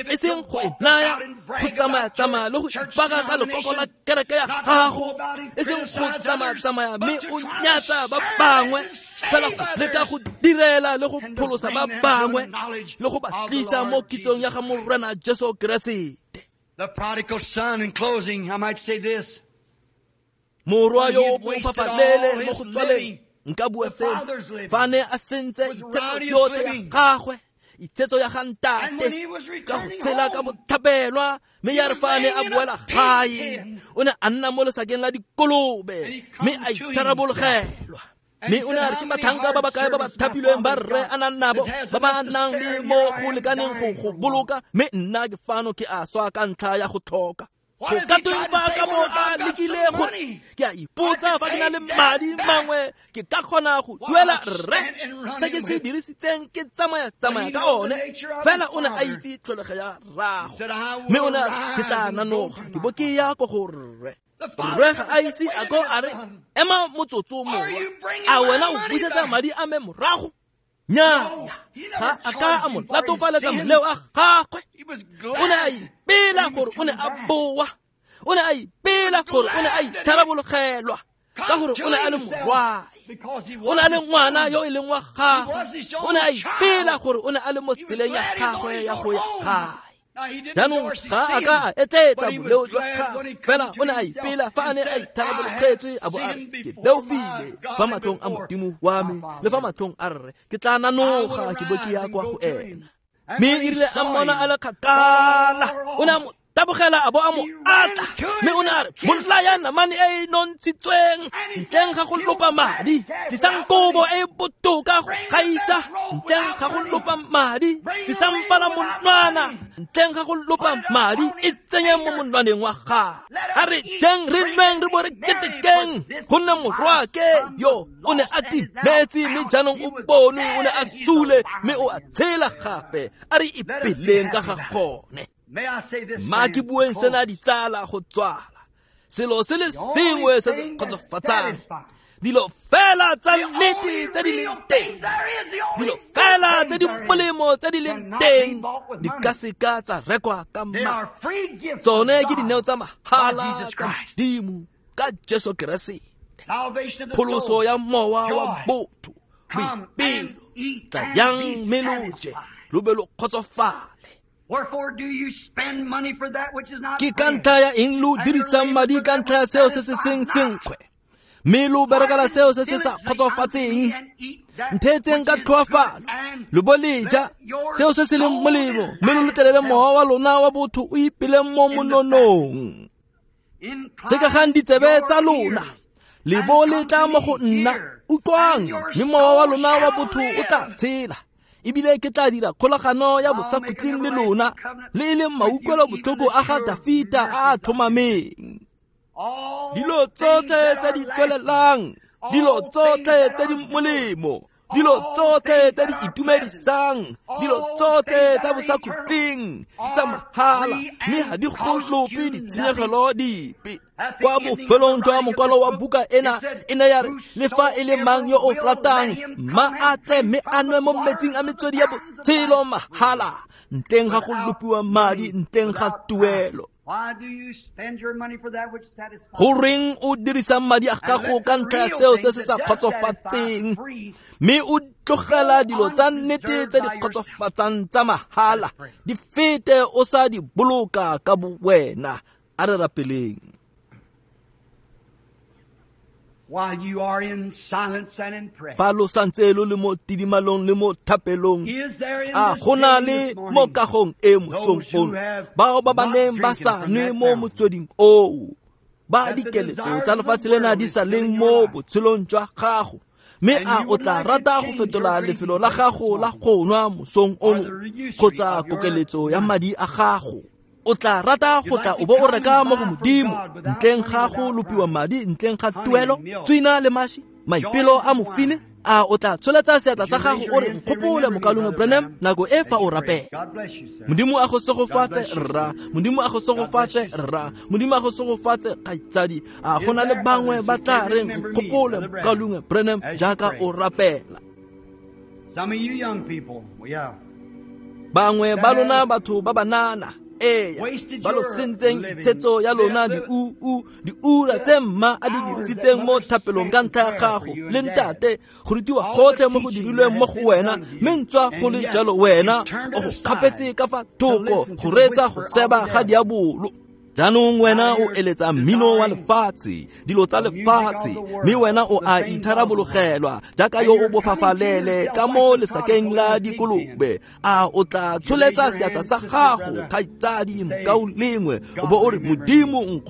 e seng go e naya go tsamaya-tsamaya le go ipaka ka lekoko la kereke ya gago e seng go tsamaya-tsamaya mme o nyatsa ba bangwe fela go leka go direla le go pholosa ba bangwe le go ba tlisa mo kitsong ya ga Morena Jesu Keresete. The prodigal son, in closing, I might say this. Morwa yo o bofafalele mo go tswaleng nka bua seno fa a ne a sentse itsetso yotlhe ya gagwe itsetso ya ga ntate ka go tshela ka botlhapelwa mme ya re fa a ne a boela gae o ne a nna mo lesakeng la dikolobe mme a itharabologelwa mme o ne a re ke batlhanka ba ba kae ba ba thapilweng ba rre a nang nabo ba ba nang le mo go lekaneng go go boloka mme nna ke fano ke a swa ka ntlha ya go tlhoka. Go ka tweng fa ka bo a lekile gore ke a ipotsa fa ke na le madi mangwe ke ka kgona go duela rre se ke se dirisitseng ke tsamaya-tsamaya ka one fela o ne a itse tlholego ya rrago mme o ne a re ke tla nanoga ke bo ke ya ko go rre. Rre ga a ise a ko a re ema motsotso morwa a wena o busetsa madi a me morago nnyaa ga a ka a mo latofaletsa moleo a gagwe o ne a ipela gore o ne a boa o ne a ipela gore o ne a itharabologelwa ka gore o ne a le morwae o ne a le ngwana yo e leng wa gagwe o ne a ipela gore o ne a le mo tseleng ya gagwe ya go ya gae. Jaanong ga a ka a etleetsa boleo jwa gagwe fela o ne a ipela fa a ne a itharabologetswe a bo a re ke leofile fa matlhong a Modimo wa me le fa matlhong a rre ke tla nanoga ke bo ke ya kwa go ena. Mme e rile a mmona a le kgakala o ne a mo tabogela a bo a mo atla mme o ne a re bolaya namane e e nontshitsweng ntleng ga go lopa madi tlisang kobo e e botoka go gaisa ntleng ga go lopa madi tlisang palamonwana ntleng ga go lopa madi e tsenye mo monwaneng wa gagwe a re jeng re nweng re bo re ketekeng gonne morwaake yo o ne a timetse mme jaanong o bonwe o ne a sule mme o a tshela gape a re ipeleng ka ga gone. Ma ke bueng sena ditsala go tswala selo se le sengwe se se kgotsofatsang dilo fela tsa nnete tse di leng teng dilo fela tse di molemo tse di leng teng di ka seka tsa rekwa ka madi tsone ke dineo tsa mahala tsa Modimo ka Jesu Keresete pholoso ya mowa wa botho boipelo tlayang mme lo je lo be lo kgotsofale. Ke ka ntlha ya eng lo dirisang madi ka ntlha ya seo se se seng senkgwe mme lo berekela seo se se sa kgotsofatseng ntheetseng ka tlhoafalo lo bo le ja seo se se leng molemo mme lo letlelele mowa wa lona wa botho o ipeleng mo mononong sekegang ditsebe tsa lona le bo le tla mo go nna utlwang mme mowa wa lona wa botho o tla tshela Ebile ke tla dira kgolagano ya bosakhutleng le lona, le e leng mautlwelobotlhoko a ga Dafita a a tlhomameng. Dilo tsotlhe tse di tswelelang, dilo tsotlhe tse di molemo, dilo tsotlhe tse di itumedisang, dilo tsotlhe tsa bosakhutleng ke tsa mahala, mme ga di go lope ditshenyegelo dipe. Kwa bofelong jwa mokwalo wa buka ena e ne ya re, le fa e le mang yo o ratang, mma a tle mme a nwe mo metsing a metswedi ya botshelo mahala, ntleng ga go lopiwa madi, ntleng ga tuelo. Goreng o dirisa madi a gago ka ntlha ya seo se se sa kgotsofatseng, mme o tlogela dilo tsa nnete tse di kgotsofatsang tsa mahala di fete o sa di boloka ka bo wena? A re rapeleng. While you are in silence and in prayer, Fa lo santse lo le mo tidimalong le mo thapelong, is there in a this go na building le this mo morning kagong e mosong those who ono have bao ba ba not neng ba drinking sa from nwe that mo fountain? motsweding oo, ba That the dikeletso desires tsa of the lefatshe lena world di is sa still leng in your mo life. botshelong jwa gago, mme And a you o would tla like to rata go change your fetola drinking lefelo la place this gago la morning go nwa mosong or ono the usury kgotsa of your kokeletso ya money. madi a gago? O tla rata You'd go tla like o to bo o come and reka mo go buy from Modimo God without ntleng money, ga go without lopiwa price, madi, ntleng ga honey tuelo, and milk, tswina le mashi, maipelo joy a and mofine. wine. A o tla tsholetsa seatla Would sa you gago raise o your re, hand and say, nkgopole "Remember me, mokaulengwe Brother Branham, Branham," nako e as fa o you pray? rapela. God bless you, sir. Modimo a go God segofatse bless you, rra, sir. Modimo a go God bless segofatse you, sister. rra, Modimo a go segofatse kgaitsadi. A Is go na le there bangwe others ba who tla say, reng, "Remember me, nkgopole Brother Branham," mokaulengwe Branham, as you jaaka pray? o rapela? Some of you young people, yeah, Bangwe that ba lona have batho ba banana, ee, wasted ba lo your sentseng living, itshetso ya the, lona the, diuu diura the tse mma a di hours that dirisitseng mo mother thapelong spent ka in ntlha ya prayer for gago you le and dad, ntate, go rutiwa all the gotlhe mo go teaching that dirilweng mo has go been wena, done to mme you, ntswa go and le yet jalo wena you've turned o it go aside kgapetse ka fa to thoko listen go to the reetsa go whisper of seba the ga devil. diabolo. Jaanong Now wena o you're eletsa mmino wa desiring lefatshe, dilo tsa the music of lefatshe, the mme world, wena o the a things of the world. itharabologela jaaka And yo o you're coming to bofafalele yourself ka like mo the lesakeng prodigal la in the pig pen. dikolobe. A o tla You raise tsholetsa your seatla hand, sa sister, gago, brother, kgaitsadi, and say, mokaulengwe, o "God, bo o re, remember me. Modimo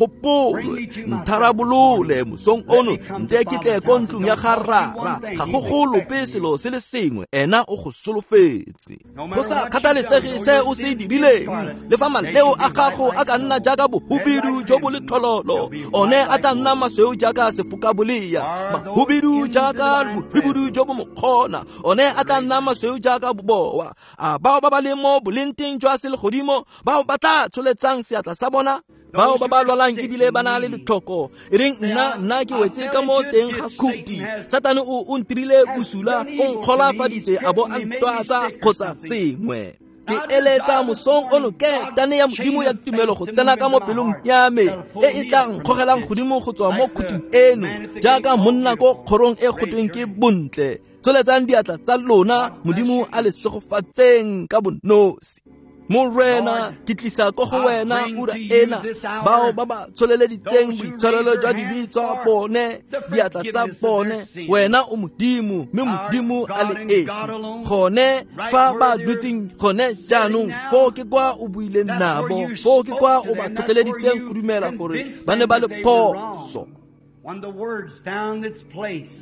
Bring nkgopole, me to myself this morning. ntharabolole mosong Let ono, me come to nte ke tle Father's ko house and ntlong ya don't ga cost you rara. one thing. Ga He's go go lope expecting you. selo se le sengwe, ena o go solofetse. No Go matter sa what you've done, kgathalesege though se your o se sins be dirileng, scarlet, le fa they maleo shall a be white gago a like ka nna snow. jaaka Red bohubidu like jo bo crimson, letlhololo, they'll be one white a like tla nna wool. masweu jaaka sefokabolea, Are those mahubidu in the jaaka divine bohubidu presence jo bo mokgona, one a would tla raise nna their hand? masweu jaaka boboa. A bao ba ba leng mo bolenteng jwa selegodimo, bao ba tla tsholetsang seatla sa bona, bao Those ba who ba are lwalang sick ebile and ba na le needy, letlhoko, e reng say, nna I, nna ke I wetse fell ka mo into a teng ga ditch. Satan khuti, has, Satane o o ntirile has bosula, done o evil to me. He's nkgolafaditse a bo tricked a me, made me ntwatsa sick or kgotsa something. sengwe. Ke I eletsa desire this mosong ono morning ke God's tane ya Modimo chain ya of tumelo faith go to tsena move ka mo into my pelong heart ya me that'll e pull e me tla up from this nkgogelang ditch. godimo go tswa mo Like the khuting eno, man at the gate jaaka called monna ko Beautiful, kgorong e raise gotweng your ke hand. bontle. Tsholetsang diatla tsa lona, God bless Modimo you. a le segofatseng ka bonosi. Morena, Lord, ke tlisa ko go I wena bring ura to you ena this bao hour ba ba tsholeleditseng those who raise boitshwarelo their jwa dibe hands tsa for bone, the diatla tsa forgiveness of their bone. sins. Wena o Modimo, mme Our Modimo a God le and esi. God alone, Gone right fa where ba they're dutseng gone sitting jaanong, now, foo ke kwa o buileng that's where nabo, you foo ke spoke kwa to o ba them. That's where tlhotlheleditseng go you dumela gore convinced ba ne them ba le that they were wrong. phoso. When the words found its place,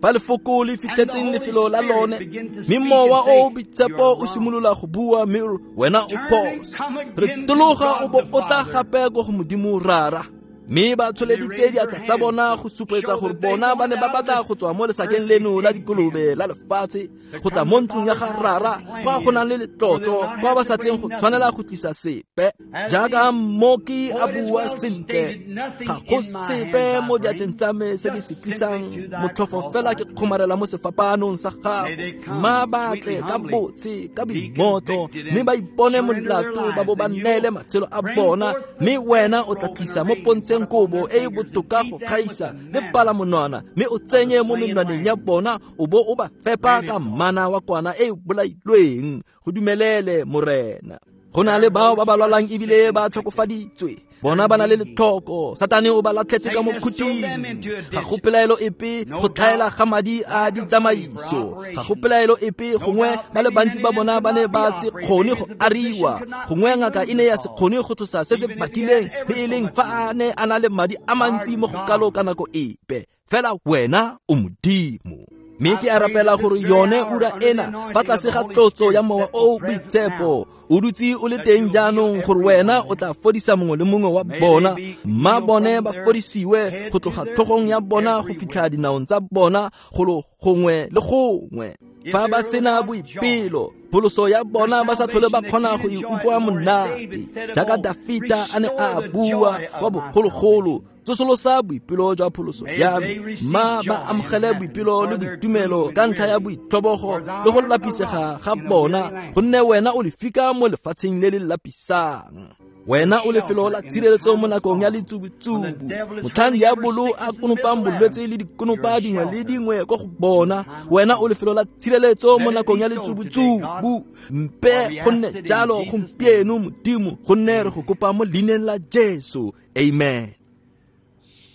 Fa lefoko le and the fitlhetseng Holy lefelo la Spirit lone, began to mme speak mowa and o say, "You boitshepo are o wrong." simolola go bua mme o re, wena o Turn and phoso. come Re again to tologa o God bo the o tla Father. gape ko go Modimo Rara. Mme ba And they tsholeditse raised their diatla tsa hands bona to go supetsa show gore that they bona ba ne wanted ba out of batla this go tswa mo lesakeng earthly leno la pig dikolobe pen la lefatshe to go tla come mo to ntlong ya Father's ga house where Rara, the plan kwa go nang is, le where they'll letlotlo, not kwa have ba to sa tleng bring go tshwanela nothing. go tlisa sepe. As Jaaka the mmoki a poet has bua well sentle, stated, nothing ga go in my sepe hands I mo diatleng bring, tsa me se ke just se simply tlisang, to thy motlhofo cross fela I ke cling. kgomarela mo sefapanong sa May gago. they Mma come ba sweetly, tle ka humbly, botse, ka be boingotlo, convicted mme and ba ipone surrender their molato, ba bo lives, ba and you'll neele matshelo a bring bona. forth the Mme wena best o tla robe and tlisa mo arrange pontsheng it upon kobo their e e fingers and botoka feed go them with kgaisa the le manna palamonwana, mme o of the tsenye mo slain menwaneng ya lamb. bona, o bo o ba fepa Grant ka it, Lord. mmana wa kwana e e bolailweng. Go dumelele, Morena. Go na There le are bao ba those ba who are lwalang sick ebile and ba afflicted tlhokofaditswe, bona and ba na le needy. letlhoko, Satane o ba latlhetse ka Satan mo has thrown them khuting. into a Ga go ditch. pelaelo epe No go tlhaela doubt, ga madi a lack of money for ditsamaiso, ga go operation. pelaelo epe No gongwe doubt ba le maybe bantsi many ba of them bona could ba ne not be ba se operated. kgone Maybe go the physician ariwa, could not gongwe ngaka remove e ne the ya se cause, kgone go tlosa se se even if he had bakileng, le ever e so leng much fa money. a ne a na le madi a Our mantsi mo go kalo God ka nako epe. Fela wena o Modimo. Mme ke a rapela gore yone ura ena fa tlase ga tlotso ya Mowa o o Boitshepo o dutse o le teng jaanong, gore wena o tla fodisa mongwe le mongwe wa bona. Mma bone ba fodisiwe go tloga tlhogong ya bona go fitlha dinaong tsa bona golo gongwe le gongwe. Fa ba sena boipelo, pholoso ya bona ba sa tlhole ba kgona go e utlwa monate, jaaka Dafita a ne a bua wa bogologolo, tsosolosa boipelo jwa pholoso ya me. Mma ba amogele boipelo le boitumelo ka ntlha ya boitlhobogo le go lapisega ga bona, gonne wena o lefika mo lefatsheng le le lapisang. Wena o lefelo la tshireletso mo nakong ya letsubutsubu, motlhang diabolo a konopang bolwetse le dikonopa dingwe le dingwe ko go bona. Wena o lefelo la tshireletso mo nakong ya letsubutsubu. Mpe go nne jalo gompieno, Modimo, gonne re go kopa mo leineng la Jesu. Amen.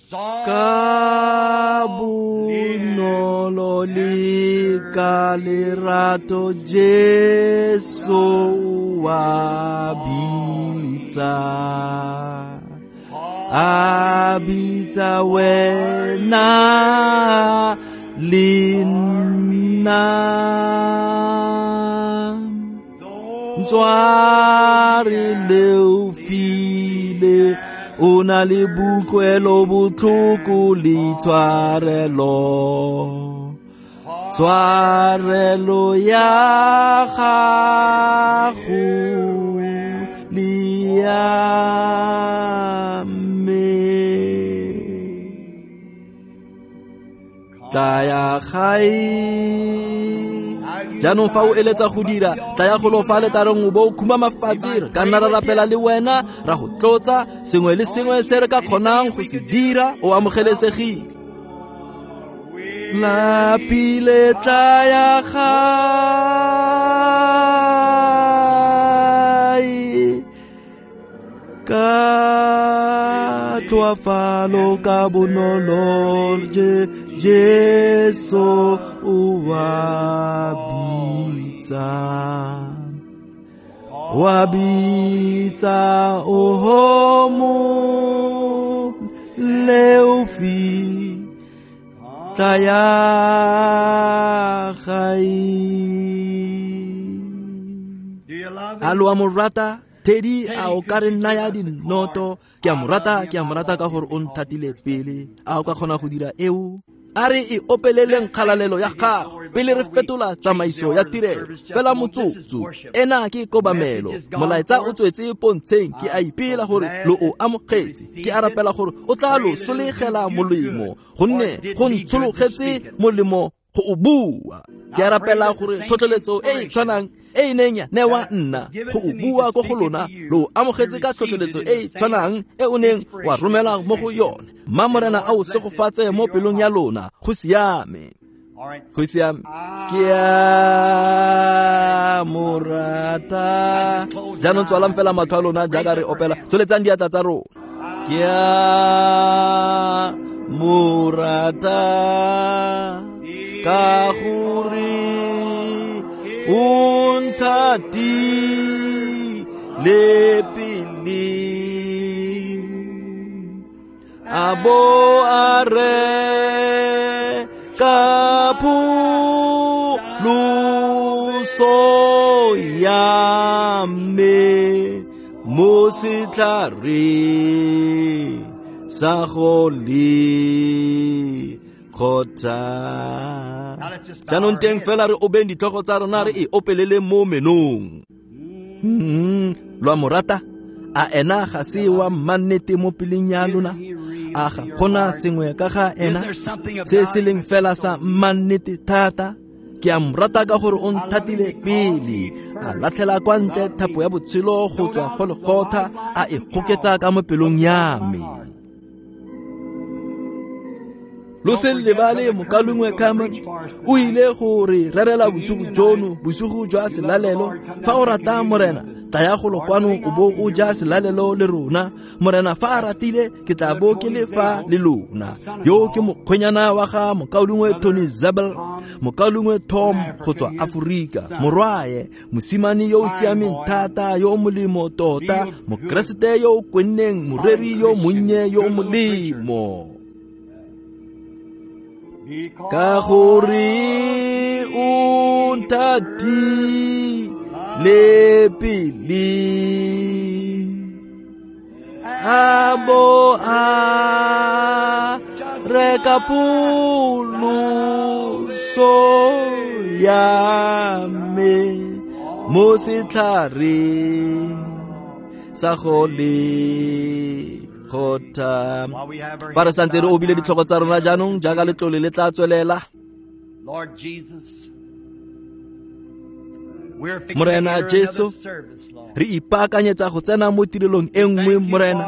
Ka bonolo le ka lerato Jesu wa bitsa, a bitsa wena le nna. Ntsware leofile, o na le bokutlwelo botlhoko le tshwarelo, tshwarelo ya gago le ya me. Tlaya gae jaanong, fa o eletsa go dira, tlaya go lo fa letareng o bo o khumama fatshe. Re ka nna ra rapela le wena, ra go tlotsa sengwe le sengwe se re ka kgonang go se dira. O amogelesegile. Lapile, tlaya gae ka tlhoafalo, ka bonolo Jesu o wa bitsa, wa bitsa oho mo leofi, tlaya gae. A lo a mo rata? Teddy, a o ka re naya dinoto? Ke a mo rata, ke a mo rata ka gore o nthatile pele. A o ka kgona go dira eo? A re e opeleleng kgalalelo ya gago pele re fetola tsamaiso ya tirelo. Fela motsotso, ena ke kobamelo. Molaetsa o tswetse pontsheng. Ke a ipela gore lo o amogetse. Ke a rapela gore o tla lo solegela molemo, gonne go ntshologetse molemo go o bua. Ke a rapela gore tlhotlheletso e e tshwanang e e neng ya newa nna go o bua ko go lona, lo amogetse ka tlhotlheletso e e tshwanang e o neng wa romela mo go yone. Mma Morena a o segofatse mo pelong ya lona. Go siame, go siame. Ke a mo rata. Jaanong tswalang fela matlho a lona jaaka re opela. Tsholetsang diatla tsa rona. Ke a mo rata ka gore o nthatile pele, a bo a re ka pholoso ya me mo setlhareng sa go le kgotsa. Jaanong teng fela re obeng ditlhogo tsa rona, re e opelele mo menong. Hmm, lo a mo rata? A ena ga se wa mmannete mo peleng ya lona? A ga gona sengwe ka ga ena se se leng fela sa mmannete thata? Ke a mo rata ka gore o nthatile pele, a latlhela kwa ntle thapo ya botshelo go tswa go lekgotha, a e goketsa ka mo pelong ya me. Lo se lebale mokalungwe Carmen o ile go re rerela bosigo jono, bosigo jwa selalelo. Fa o rata Morena, tlaya go lokwano o bo o ja selalelo le rona. Morena fa a ratile, ke tla bo ke le fa le lona. Yo ke mokgwenyana wa ga mokaulengwe Tony Zabel, mokaulengwe Tom go tswa Aforika, morwae, mosimane yo o siameng thata, yo o molemo tota, mokeresete yo o kwenneng, moreri yo monnye yo o molemo. Ka gore o nthatile pele, a bo a reka pholoso ya me mo setlhareng sa go le gotha. Fa re santse re obile ditlhogo tsa rona jaanong jaaka letlole le tla tswelela, Morena Jesu, re ipaakanyetsa go tsena mo tirelong e nngwe. Morena,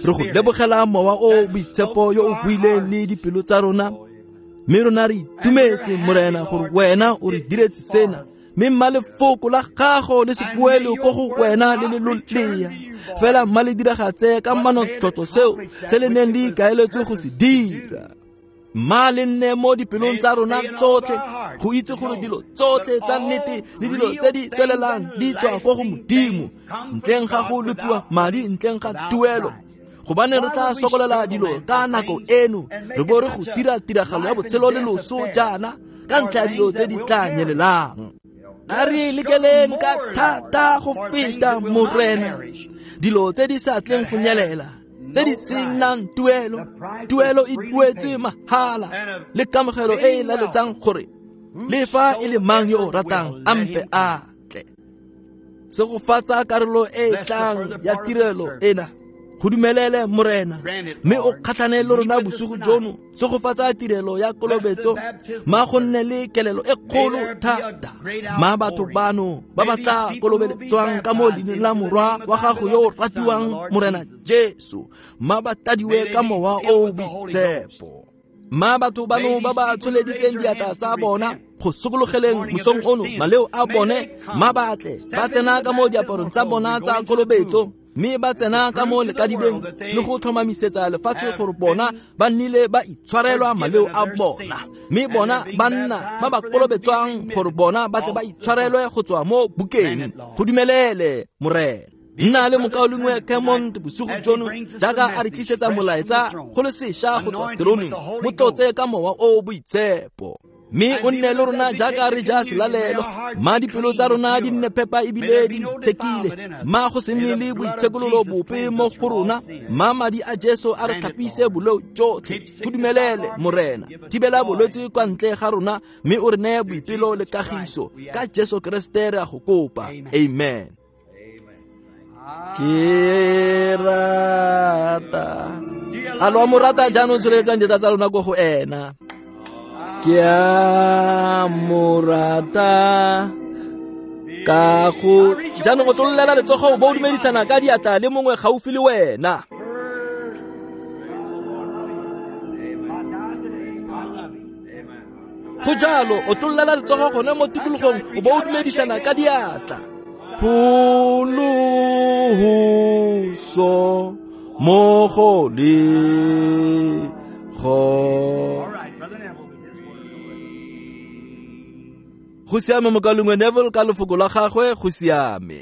re go lebogela mowa o boitshepo yo o buileng le dipelo tsa rona, mme rona re itumetse, Morena, gore wena o re diretse sena. Mme mma lefoko la gago le se boele ko go wena le le lolea fela, mma le diragatse ka manontlhotlho seo se le neng le ikaeletswe go se dira. Mma le nne mo dipelong tsa rona tsotlhe go itse gore dilo tsotlhe tsa nnete le dilo tse di tswelelang di tswa ko go Modimo, ntleng ga go lopiwa madi, ntleng ga tuelo. Gobane re tla sokolela dilo ka nako eno, re bo re go dira tiragalo ya botshelo le loso jaana ka ntlha ya dilo tse di tla nyelelang. A re lekeleng ka thata go feta, Morena, dilo tse di sa tleng go nyelela, tse di senang tuelo. Tuelo e duetse mahala, le kamogelo e e laletsang gore le fa e le mang yo o ratang a mpe a tle. Segofatsa karolo e e tlang ya tirelo ena, go dumelele, Morena, mme o kgatlhane le rona bosigo jono. Segofatsa tirelo ya kolobetso, ma go nne le kelelo e kgolo thata. Ma batho bano ba ba tla kolobeletswang ka mo leineng la Morwa wa gago yo o ratiwang, Morena Jesu, ma ba tadiwe ka mowa o o boitshepo. Ma batho bano ba ba tsholeditseng diatla tsa bona go sokologeleng mosong ono maleo a bone, ma batle ba tsena ka mo diaparong tsa bona tsa kolobetso, mme ba tsena ka mo lekadibeng le go tlhomamisetsa lefatshe gore bona ba nnile ba itshwarelwa maleo a bona, mme bona ba nna ba ba kolobetswang gore bona ba tle ba itshwarelwe go tswa mo bukeng. Go dumelele, Morena. Nna le mokaulengwe Kemont bosigo jono jaaka a re tlisetsa molaetsa go le sešwa go tswa teroneng, mo tlotse ka mowa o o boitshepo. Mme o nne le rona jaaka re ja selalelo. Ma dipelo tsa rona di nne phepa ebile di itshekile, ma go se nne le boitshekololo bope mo go rona. Ma madi a Jesu a re tlhapise boleo jotlhe. Go dumelele, Morena. Thibela bolwetse kwa ntle ga rona, mme o re neye boipelo le kagiso. Ka Jesu Keresete re a go kopa, amen. Ke rata a lo mo rata jaanong, tsholetsang diatla tsa lona ko go ena. Ke a mo rata ka go jaanong o tololela letsogo o bo o dumedisana ka diatla le mongwe gaufi le wena. Go jalo, o tololela letsogo gone mo tikologong o bo o dumedisana ka diatla. Pholoso mo go le go. Go siame, mokaulengwe Neville, ka lefoko la gagwe. Go siame.